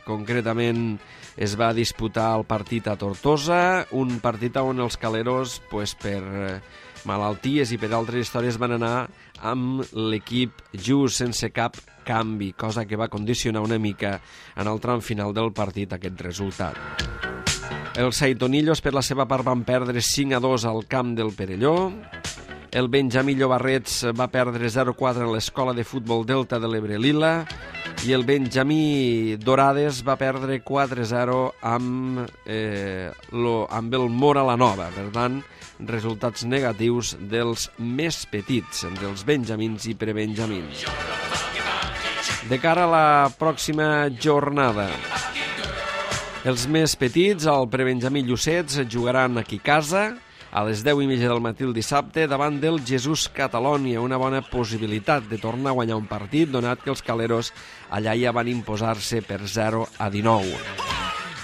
concretament es va disputar el partit a Tortosa, un partit on els Caleros, per malalties i per altres històries, van anar amb l'equip just sense cap canvi, cosa que va condicionar una mica en el tram final del partit aquest resultat. Els Saitonillos, per la seva part, van perdre 5-2 al camp del Perelló. El Benjamí Llobarrets va perdre 0-4 en l'Escola de Futbol Delta de l'Ebre Lila. I el Benjamí Dorades va perdre 4-0 amb el Mora la Nova. Per tant, resultats negatius dels més petits, dels benjamins i prebenjamins. De cara a la pròxima jornada, els més petits, el prebenjamí Llucets, jugaran aquí a casa a les 10:30 del matí el dissabte davant del Jesús Catalònia. Una bona possibilitat de tornar a guanyar un partit, donat que els Caleros allà ja van imposar-se per 0-19.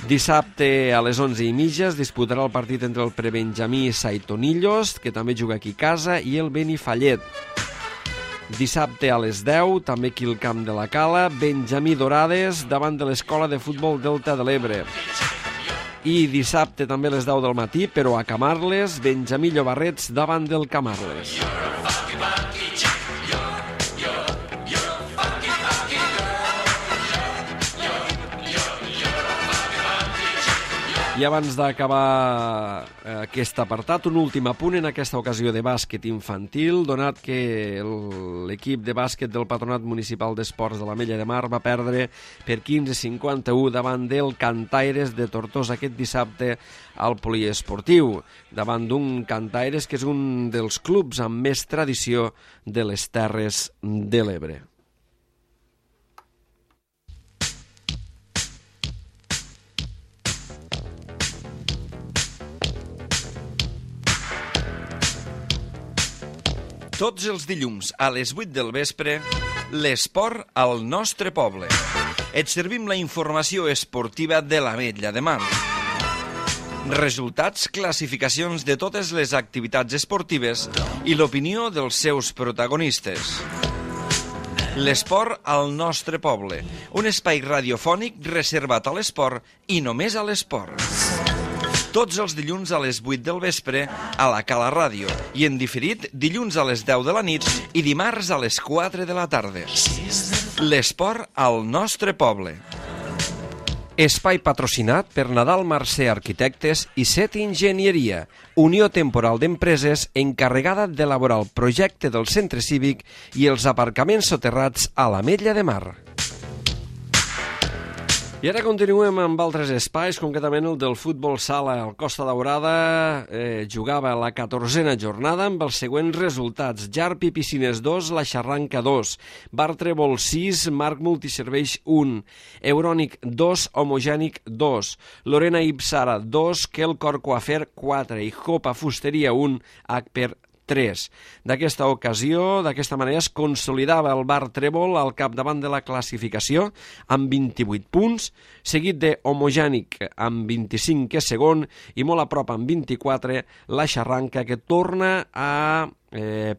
Dissabte a les 11:30 es disputarà el partit entre el prebenjamí Saitonillos, que també juga aquí a casa, i el Benifallet. Dissabte a les 10, també aquí al camp de la Cala, Benjamí Dorades davant de l'Escola de Futbol Delta de l'Ebre. I dissabte també a les 10 del matí, però a Camarles, Benjamí Llobarrets davant del Camarles. I abans d'acabar aquest apartat, un últim apunt en aquesta ocasió de bàsquet infantil, donat que l'equip de bàsquet del Patronat Municipal d'Esports de l'Ametlla de Mar va perdre per 15-51 davant del Cantaires de Tortosa aquest dissabte al poliesportiu, davant d'un Cantaires que és un dels clubs amb més tradició de les Terres de l'Ebre. Tots els dilluns a les 8 del vespre, l'esport al nostre poble. Et servim la informació esportiva de l'Ametlla de Mar. Resultats, classificacions de totes les activitats esportives i l'opinió dels seus protagonistes. L'esport al nostre poble, un espai radiofònic reservat a l'esport i només a l'esport. Tots els dilluns a les 8 del vespre a la Cala Ràdio i en diferit dilluns a les 10 de la nit i dimarts a les 4 de la tarda. L'esport al nostre poble. Espai patrocinat per Nadal Mercè Arquitectes i Set Enginyeria, unió temporal d'empreses encarregada d'elaborar el projecte del centre cívic i els aparcaments soterrats a l'Ametlla de Mar. I ara continuem amb altres espais, concretament el del futbol sala. El Costa Daurada jugava la 14a jornada amb els següents resultats. Jarpi Piscines 2, La Xarranca 2, Bar Trèvol 6, Marc Multiserveis 1, Eurònic 2, Homogènic 2, Lorena Ipsara 2, Quelcor Coafer 4 i Jopa Fusteria 1, Agper 3. D'aquesta ocasió, d'aquesta manera, es consolidava el Bar Trèvol al capdavant de la classificació amb 28 punts, seguit de Homogènic amb 25, que és segon, i molt a prop amb 24, la Xarranca, que torna a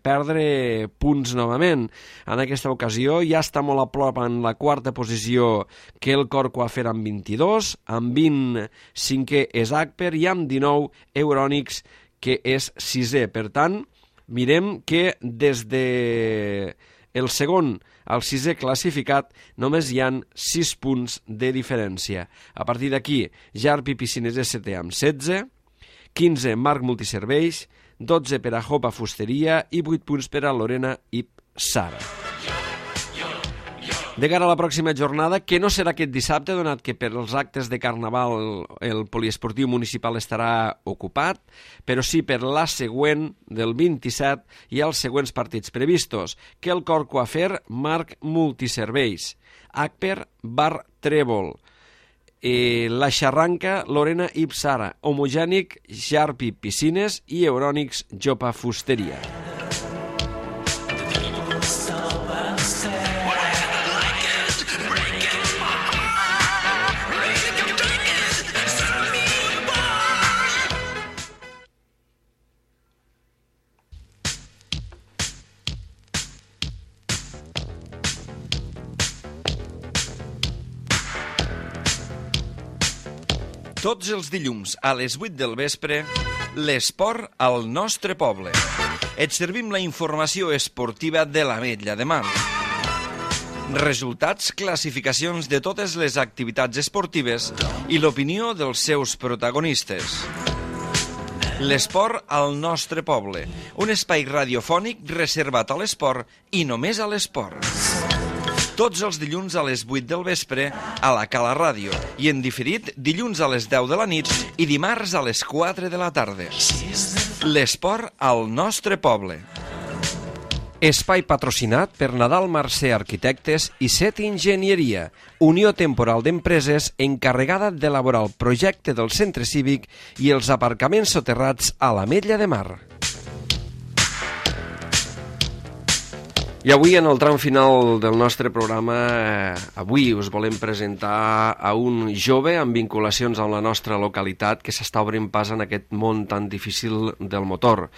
perdre punts novament. En aquesta ocasió ja està molt a prop en la quarta posició que el Cor Coafer amb 22, amb 25 és Agper i amb 19 Eurònics, que és sisè. Per tant, mirem que des de el segon al sisè classificat només hi han 6 punts de diferència. A partir d'aquí, Jarpi Piscines ST amb 16, 15 Marc Multiserveis, 12 per a Jopa Fusteria i 8 punts per a Lorena Ipsara. De cara a la pròxima jornada, que no serà aquest dissabte, donat que per els actes de Carnaval el poliesportiu municipal estarà ocupat, però sí per la següent, del 27, hi ha els següents partits previstos. Que el Cor Coafer, Marc Multiserveis, Agper, Bar Trèvol, la Xarranca, Lorena Ipsara, Homogènic, Jarpi Piscines i Eurònics Jopa Fusteria. Tots els dilluns a les 8 del vespre, l'esport al nostre poble. Et servim la informació esportiva de l'Ametlla de Mar. Resultats, classificacions de totes les activitats esportives i l'opinió dels seus protagonistes. L'esport al nostre poble, un espai radiofònic reservat a l'esport i només a l'esport. Tots els dilluns a les 8 del vespre a la Cala Ràdio i en diferit dilluns a les 10 de la nit i dimarts a les 4 de la tarda. L'esport al nostre poble. Espai patrocinat per Nadal Mercè Arquitectes i Set Enginyeria, unió temporal d'empreses encarregada d'elaborar el projecte del centre cívic i els aparcaments soterrats a l'Ametlla de Mar. I avui, en el tram final del nostre programa, avui us volem presentar a un jove amb vinculacions amb la nostra localitat que s'està obrint pas en aquest món tan difícil del motor.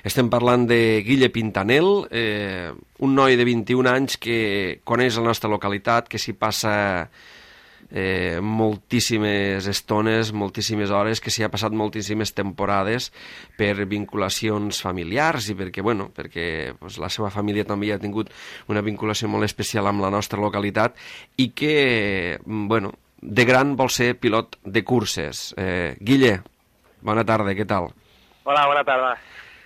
Estem parlant de Guille Pintanel, un noi de 21 anys que coneix la nostra localitat, que s'hi passa moltíssimes estones, moltíssimes hores, que s'hi ha passat moltíssimes temporades per vinculacions familiars i perquè la seva família també ha tingut una vinculació molt especial amb la nostra localitat i que, de gran vol ser pilot de curses. Guille, bona tarda, què tal? Hola, bona tarda.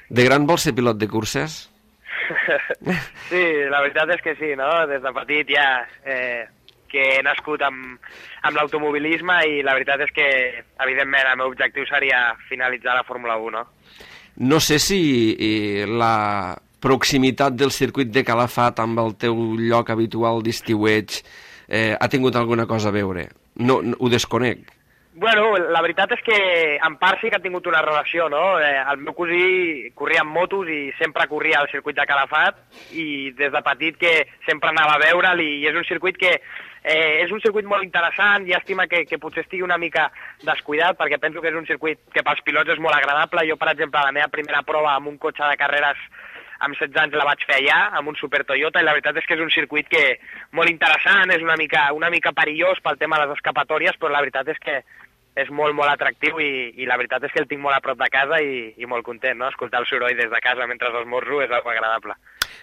De gran vol ser pilot de curses? Sí, la veritat és que sí, no? Des de petit ja... que he nascut amb l'automobilisme i la veritat és que, evidentment, el meu objectiu seria finalitzar la Fórmula 1, no? No sé si la proximitat del circuit de Calafat amb el teu lloc habitual d'estiueig ha tingut alguna cosa a veure. No, ho desconec. Bueno, la veritat és que en part sí que ha tingut una relació, no? El meu cosí corria amb motos i sempre corria al circuit de Calafat i des de petit que sempre anava a veure'l i és un circuit que és un circuit molt interessant, llàstima que potser estigui una mica descuidat perquè penso que és un circuit que pels pilots és molt agradable. Jo, per exemple, la meva primera prova amb un cotxe de carreres amb 16 anys la vaig fer allà, amb un Super Toyota, i la veritat és que és un circuit que molt interessant, és una mica perillós pel tema de les escapatòries, però la veritat és que és molt, molt atractiu i la veritat és que el tinc molt a prop de casa i molt content, no? Escoltar el soroll des de casa mentre esmorzo és algo agradable.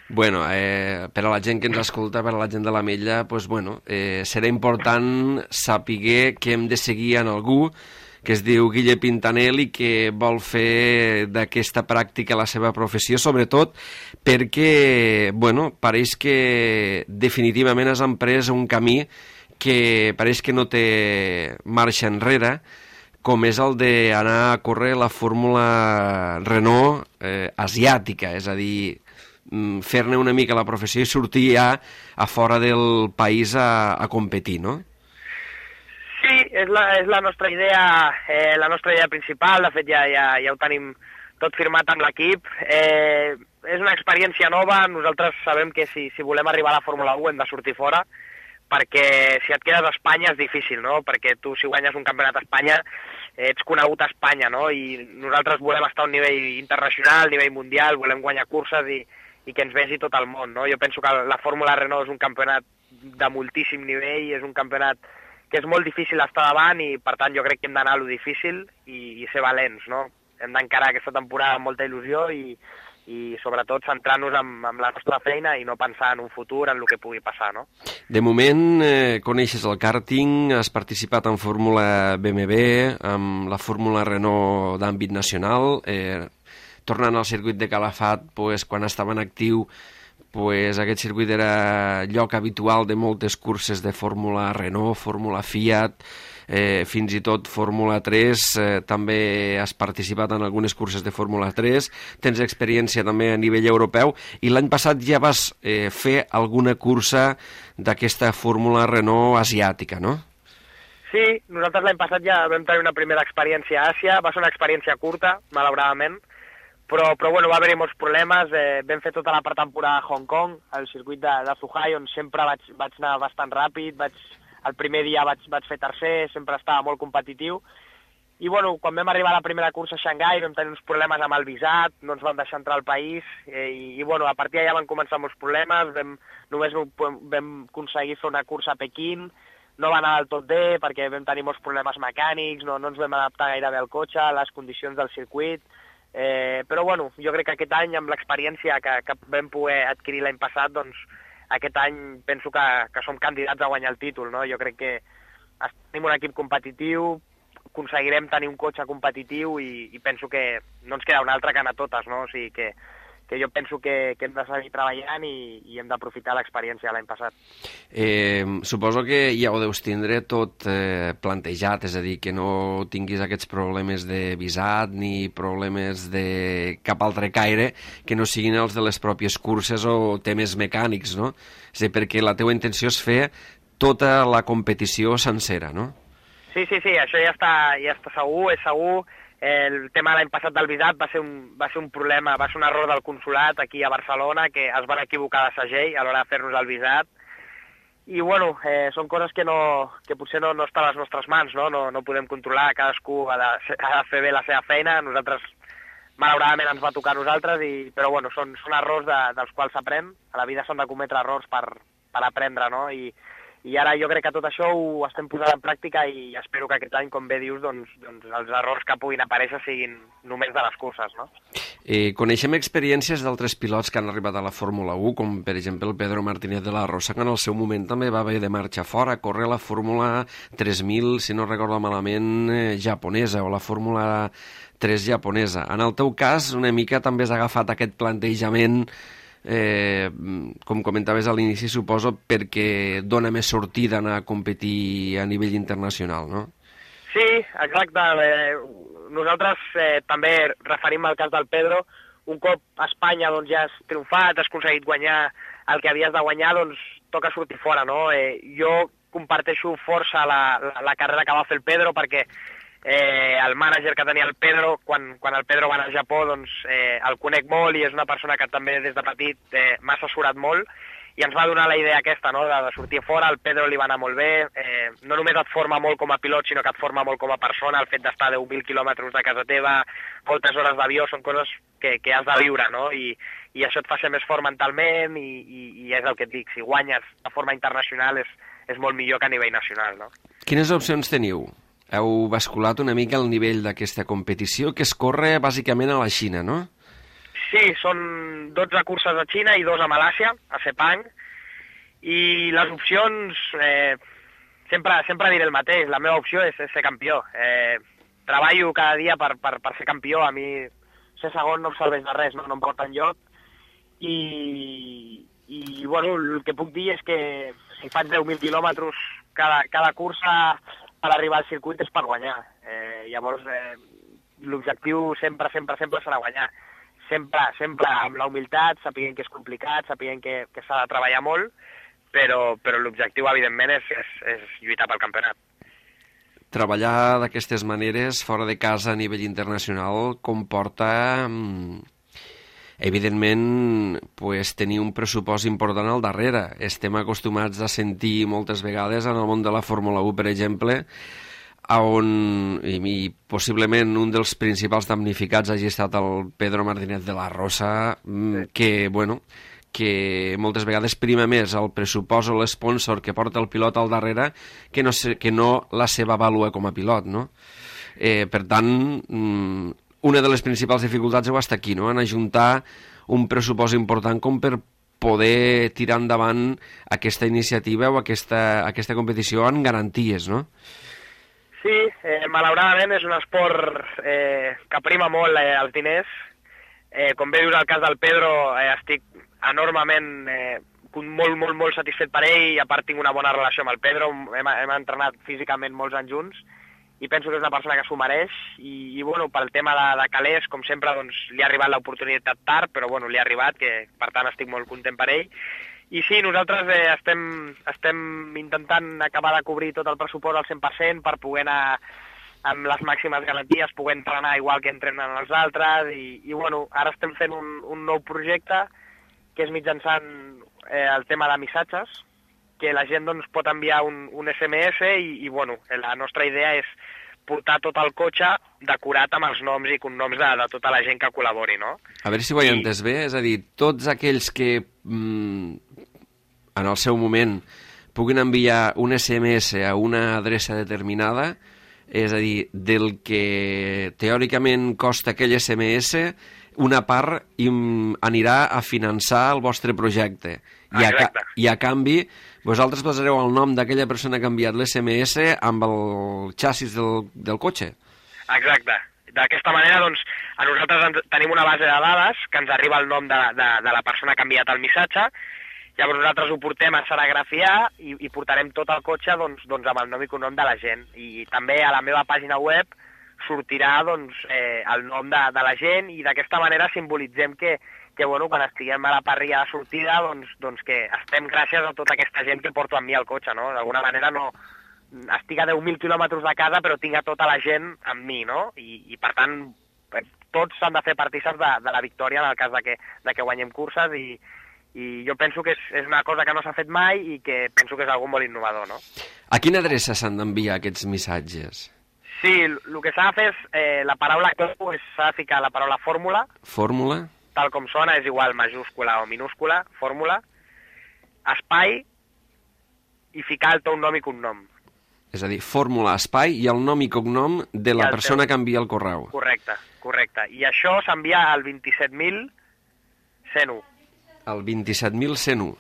Bueno, per a la gent que ens escolta, per a la gent de l'Ametlla, serà important saber que hem de seguir en algú que es diu Guille Pintanel i que vol fer d'aquesta pràctica la seva professió, sobretot perquè, pareix que definitivament has emprès un camí que pareix que no té marxa enrere, com és el d'anar a córrer la Fórmula Renault asiàtica, és a dir, fer-ne una mica la professió i sortir ja a fora del país a competir, no? Sí, és la nostra idea principal, de fet ja ho tenim tot firmat amb l'equip. És una experiència nova, nosaltres sabem que si volem arribar a la Fórmula 1 hem de sortir fora, perquè si et quedes a Espanya és difícil, no? Perquè tu, si guanyes un campionat a Espanya, ets conegut a Espanya, no? I nosaltres volem estar a un nivell internacional, nivell mundial, volem guanyar curses i que ens vegi tot el món, no? Jo penso que la Fórmula Renault és un campionat de moltíssim nivell, és un campionat que és molt difícil estar davant i, per tant, jo crec que hem d'anar a lo difícil i ser valents, no? Hem d'encarar aquesta temporada amb molta il·lusió i sobretot centrar-nos en la nostra feina i no pensar en un futur, en el que pugui passar, no? De moment, coneixes el kàrting, has participat en Fórmula BMW, amb la Fórmula Renault d'àmbit nacional, tornant al circuit de Calafat, quan estava en actiu, pues, aquest circuit era lloc habitual de moltes curses de Fórmula Renault, Fórmula Fiat, fins i tot Fórmula 3, també has participat en algunes curses de Fórmula 3, tens experiència també a nivell europeu, i l'any passat ja vas fer alguna cursa d'aquesta Fórmula Renault asiàtica, no? Sí, nosaltres l'any passat ja vam tenir una primera experiència a Àsia, va ser una experiència curta, malauradament, però bueno, va haver-hi molts problemes, vam fer tota la pretemporada a Hong Kong, al circuit de Zhuhai, on sempre vaig anar bastant ràpid, el primer dia vaig fer tercer, sempre estava molt competitiu, i bueno, quan vam arribar a la primera cursa a Xangai vam tenir uns problemes amb el visat, no ens van deixar entrar al país, i bueno, a partir d'allà van començar molts problemes, només vam aconseguir fer una cursa a Pequín, no va anar del tot bé perquè vam tenir molts problemes mecànics, no ens vam adaptar gaire bé al cotxe, a les condicions del circuit, però bueno, jo crec que aquest any, amb l'experiència que vam poder adquirir l'any passat, doncs aquest any penso que som candidats a guanyar el títol, no? Jo crec que tenim un equip competitiu, aconseguirem tenir un cotxe competitiu i penso que no ens queda un altre que anar a totes, no? O sigui que jo penso que hem de seguir treballant i hem d'aprofitar l'experiència de l'any passat. Suposo que ja ho deus tindre tot plantejat, és a dir, que no tinguis aquests problemes de visat ni problemes de cap altre caire que no siguin els de les pròpies curses o temes mecànics, no? És a dir, perquè la teua intenció és fer tota la competició sencera, no? Sí, això ja està segur, és segur. El tema de l'any passat del visat va ser un problema, va ser un error del consolat aquí a Barcelona, que es van equivocar de segell a l'hora de fer-nos el visat. I bueno, són coses que potser no estan a les nostres mans, no? No podem controlar, cadascú ha de fer bé la seva feina, nosaltres malauradament ens va tocar a nosaltres, però bueno, són errors dels quals s'aprèn, a la vida s'han de cometre errors per aprendre, no? I ara jo crec que tot això ho estem posant en pràctica i espero que aquest any, com bé dius, doncs els errors que puguin aparèixer siguin només de les curses, no? Coneixem experiències d'altres pilots que han arribat a la Fórmula 1, com per exemple el Pedro Martínez de la Rosa, que en el seu moment també va haver de marxar fora, a córrer la Fórmula 3000, si no recordo malament, japonesa, o la Fórmula 3 japonesa. En el teu cas, una mica també has agafat aquest plantejament, com comentaves a l'inici, suposo, perquè dona més sortida anar a competir a nivell internacional, no? Sí, exacte. Nosaltres també referim al cas del Pedro. Un cop a Espanya doncs, ja has triomfat, has aconseguit guanyar el que havies de guanyar, doncs toca sortir fora, no? Jo comparteixo força la carrera que va fer el Pedro, perquè el mànager que tenia el Pedro, quan el Pedro va anar al Japó, doncs el conec molt i és una persona que també des de petit m'ha assessorat molt i ens va donar la idea aquesta, no?, de sortir fora. El Pedro li va anar molt bé, no només et forma molt com a pilot, sinó que et forma molt com a persona, el fet d'estar a 10.000 quilòmetres de casa teva, moltes hores d'avió, són coses que has de viure, no?, i això et fa ser més fort mentalment i és el que et dic, si guanyes de forma internacional és molt millor que a nivell nacional, no? Quines opcions teniu? Heu basculat una mica el nivell d'aquesta competició, que es corre bàsicament a la Xina, no? Sí, són 12 curses a Xina i 2 a Malàsia, a Sepang, i les opcions, sempre diré el mateix, la meva opció és ser campió. Treballo cada dia per ser campió, a mi ser segon no em serveix de res, no em porta enlloc, i bueno, el que puc dir és que si faig 10.000 quilòmetres cada cursa per arribar al circuit és per guanyar. Llavors, l'objectiu sempre serà guanyar. Sempre amb la humilitat, sapiguent que és complicat, sapiguent que s'ha de treballar molt, però l'objectiu, evidentment, és lluitar pel campionat. Treballar d'aquestes maneres, fora de casa a nivell internacional, comporta, evidentment, tenir un pressupost important al darrere. Estem acostumats a sentir moltes vegades en el món de la Fórmula 1, per exemple, on possiblement un dels principals damnificats hagi estat el Pedro Martínez de la Rosa, que moltes vegades prima més el pressupost o l'esponsor que porta el pilot al darrere que no la seva vàlua com a pilot, no? Per tant, una de les principals dificultats ho està aquí, no?, en ajuntar un pressupost important com per poder tirar endavant aquesta iniciativa o aquesta competició amb garanties, no? Sí, malauradament és un esport que prima molt els diners. Com bé dius el cas del Pedro, estic enormement, molt satisfet per ell, i a part tinc una bona relació amb el Pedro, hem entrenat físicament molts anys junts, i penso que és una persona que s'ho mereix, i bueno, pel tema de calés, com sempre, doncs, li ha arribat l'oportunitat tard, però bueno, li ha arribat, que per tant estic molt content per ell. I sí, nosaltres estem intentant acabar de cobrir tot el pressupost al 100% per poder anar amb les màximes garanties, poder entrenar igual que entrenen els altres, i bueno, ara estem fent un nou projecte, que és mitjançant el tema de missatges, que la gent doncs, pot enviar un SMS i bueno, la nostra idea és portar tot el cotxe decorat amb els noms i cognoms de tota la gent que col·labori, no? A veure si ho he entès bé, és a dir, tots aquells que en el seu moment puguin enviar un SMS a una adreça determinada, és a dir, del que teòricament costa aquell SMS, una part anirà a finançar el vostre projecte. I a canvi, vosaltres posareu el nom d'aquella persona que ha enviat l'SMS amb el xassis del cotxe. Exacte. D'aquesta manera, doncs, a nosaltres tenim una base de dades que ens arriba el nom de la persona que ha enviat el missatge. Llavors nosaltres ho portem a serigrafiar i portarem tot el cotxe doncs, amb el nom i cognom de la gent. I també a la meva pàgina web sortirà doncs, el nom de la gent, i d'aquesta manera simbolitzem que bueno, quan estiguem a la parrilla de sortida doncs que estem gràcies a tota aquesta gent que porto amb mi al cotxe, no? D'alguna manera no estic a 10.000 quilòmetres de casa però tinc a tota la gent amb mi, no? I per tant tots s'han de fer partíceps de la victòria en el cas de que guanyem curses, i jo penso que és una cosa que no s'ha fet mai i que penso que és algo molt innovador, no? A quina adreça s'han d'enviar aquests missatges? Sí, el que s'ha de fer és la paraula clau, s'ha de ficar la paraula fórmula. Fórmula? Tal com sona, és igual majúscula o minúscula, fórmula, espai, i ficar el teu nom i cognom. És a dir, fórmula, espai i el nom i cognom de la persona que envia el correu. Correcte. I això s'envia al 27.101. El 27.101.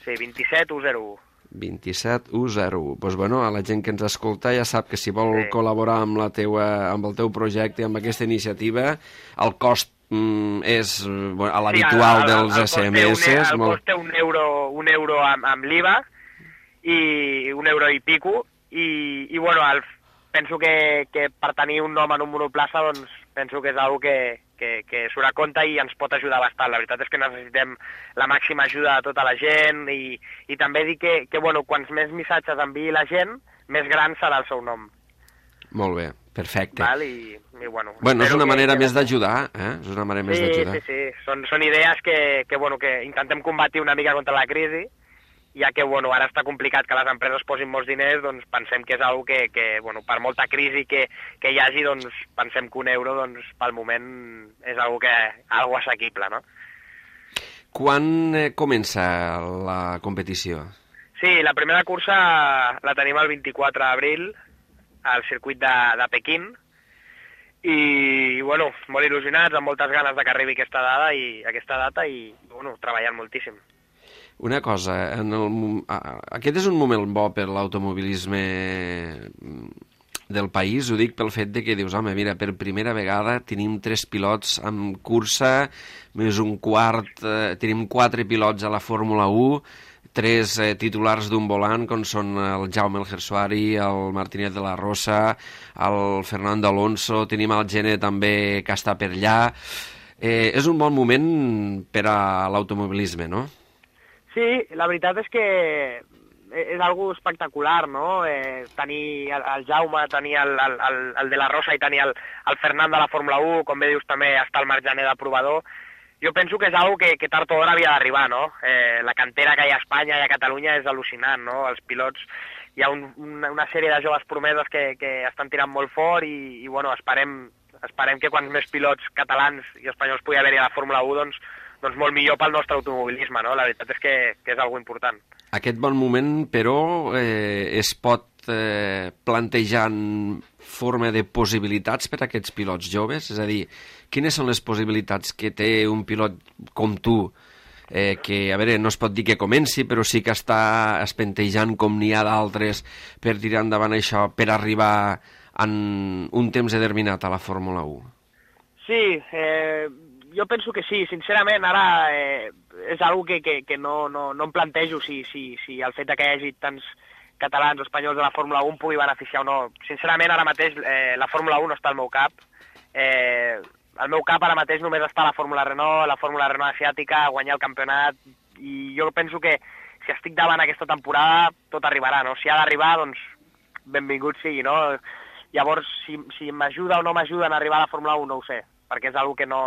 Sí, 27101. 27101. Doncs bueno, a la gent que ens escolta ja sap que si vol col·laborar amb el teu projecte, amb aquesta iniciativa, el cost és l'habitual dels SMS. El cost té un euro amb l'IVA i €1 i pico, i bueno, penso que per tenir un nom en un monoplaça doncs penso que és una que surt a compte i ens pot ajudar bastant. La veritat és que necessitem la màxima ajuda de tota la gent, i també dir que bueno, quants més missatges enviï la gent, més gran serà el seu nom. Molt bé, perfecte. Val? I bueno, és una manera més d'ajudar, És una manera més d'ajudar. Sí. Són idees que intentem combatir una mica contra la crisi, ja que bueno, ara està complicat que les empreses posin molts diners, doncs pensem que és una cosa que bueno, per molta crisi que hi hagi, doncs pensem que €1 doncs, pel moment és algo assequible, no? Quan comença la competició? Sí, la primera cursa la tenim el 24 d'abril al circuit de Pequín, i bueno, molt il·lusionats, amb moltes ganes de que arribi aquesta data i bueno, treballant moltíssim. Una cosa, aquest és un moment bo per l'automobilisme del país, ho dic pel fet de que dius, home, mira, per primera vegada tenim 3 pilots en cursa, més un quart, tenim 4 pilots a la Fórmula 1, 3 titulars d'un volant, com són el Jaume El Gersuari, el Martínez de la Rosa, el Fernando Alonso, tenim el Gene també que està per allà. És un bon moment per a l'automobilisme, no? Sí, la veritat és que és algo espectacular, no? Tenir el Jaume, tenir el de la Rosa i tenir el Fernando de la Fórmula 1, com bé dius també està el Marc Jané de provador. Jo penso que és algo que tard o d'hora havia d'arribar, no? La cantera que hi ha a Espanya i a Catalunya és al·lucinant, no? Els pilots, hi ha una sèrie de joves promeses que estan tirant molt fort, i bueno, esperem que quants més pilots catalans i espanyols pugui haver-hi a la Fórmula 1, doncs molt millor pel nostre automobilisme, no? La veritat és que és algo important. Aquest bon moment, però, es pot plantejar en forma de possibilitats per a aquests pilots joves? És a dir, quines són les possibilitats que té un pilot com tu, que, a veure, no es pot dir que comenci, però sí que està espentejant com n'hi ha d'altres per tirar endavant això, per arribar en un temps determinat a la Fórmula 1? Sí, Jo penso que sí, sincerament, ara és algo que no em plantejo si el fet que hi hagi tants catalans o espanyols de la Fórmula 1 pugui beneficiar o no. Sincerament, ara mateix la Fórmula 1 no està al meu cap. Al meu cap ara mateix només està la Fórmula Renault asiàtica, guanyar el campionat, i jo penso que si estic davant aquesta temporada tot arribarà, no? Si ha d'arribar, doncs benvingut sigui, no? Llavors, si m'ajuda o no m'ajuda a arribar a la Fórmula 1 no ho sé, perquè és una que no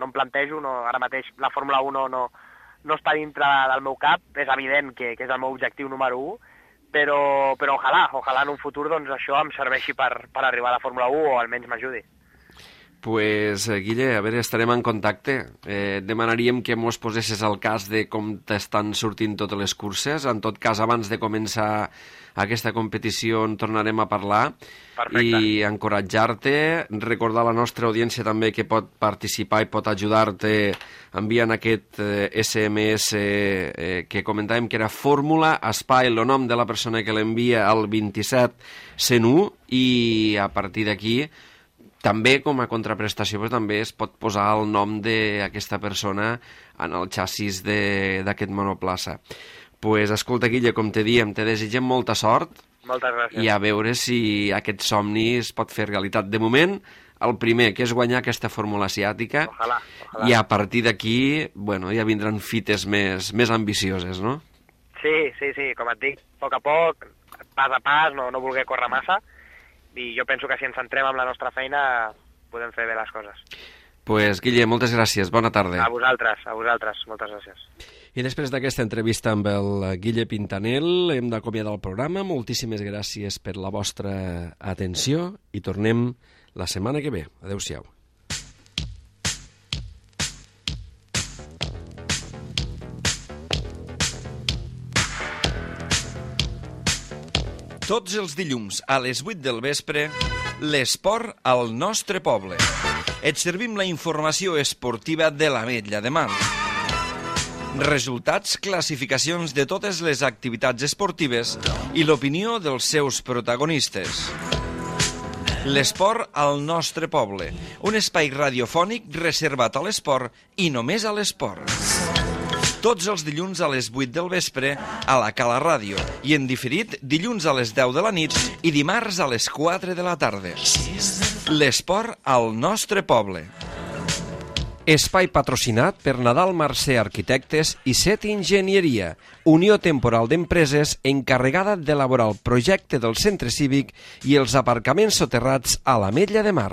em plantejo, ara mateix la Fórmula 1 no està dintre del meu cap, és evident que és el meu objectiu número 1, però ojalà en un futur doncs, això em serveixi per arribar a la Fórmula 1 o almenys m'ajudi. Pues, Guille, a veure, estarem en contacte. Demanaríem que mos posessis al cas de com t'estan sortint totes les curses. En tot cas, abans de començar aquesta competició en tornarem a parlar. Perfecte. I encoratjar-te, recordar a la nostra audiència també que pot participar i pot ajudar-te enviant aquest SMS que comentàvem que era Fórmula Espai, el nom de la persona que l'envia al 27101, i a partir d'aquí també com a contraprestació però també es pot posar el nom d'aquesta persona en el xassis d'aquest monoplaça. Pues, escolta, Guille, com te diem, te desitgem molta sort. Moltes gràcies. I a veure si aquest somni es pot fer realitat. De moment, el primer, que és guanyar aquesta fórmula asiàtica. Ojalà. I a partir d'aquí, bueno, ja vindran fites més ambicioses, no? Sí, com et dic, a poc, pas a pas, no voler córrer massa, i jo penso que si ens centrem en la nostra feina podem fer bé les coses. Pues, Guille, moltes gràcies, bona tarda. A vosaltres, moltes gràcies. I després d'aquesta entrevista amb el Guille Pintanel hem d'acomiadar el programa. Moltíssimes gràcies per la vostra atenció i tornem la setmana que ve. Adéu-siau. Tots els dilluns a les 8 del vespre, l'esport al nostre poble. Et servim la informació esportiva de l'Ametlla de Mar. Resultats, classificacions de totes les activitats esportives i l'opinió dels seus protagonistes. L'esport al nostre poble, un espai radiofònic reservat a l'esport i només a l'esport. Tots els dilluns a les 8 del vespre a la Cala Ràdio i en diferit dilluns a les 10 de la nit i dimarts a les 4 de la tarda. L'esport al nostre poble. Espai patrocinat per Nadal Mercè Arquitectes i Set Enginyeria, unió temporal d'empreses encarregada d'elaborar el projecte del centre cívic i els aparcaments soterrats a l'Ametlla de Mar.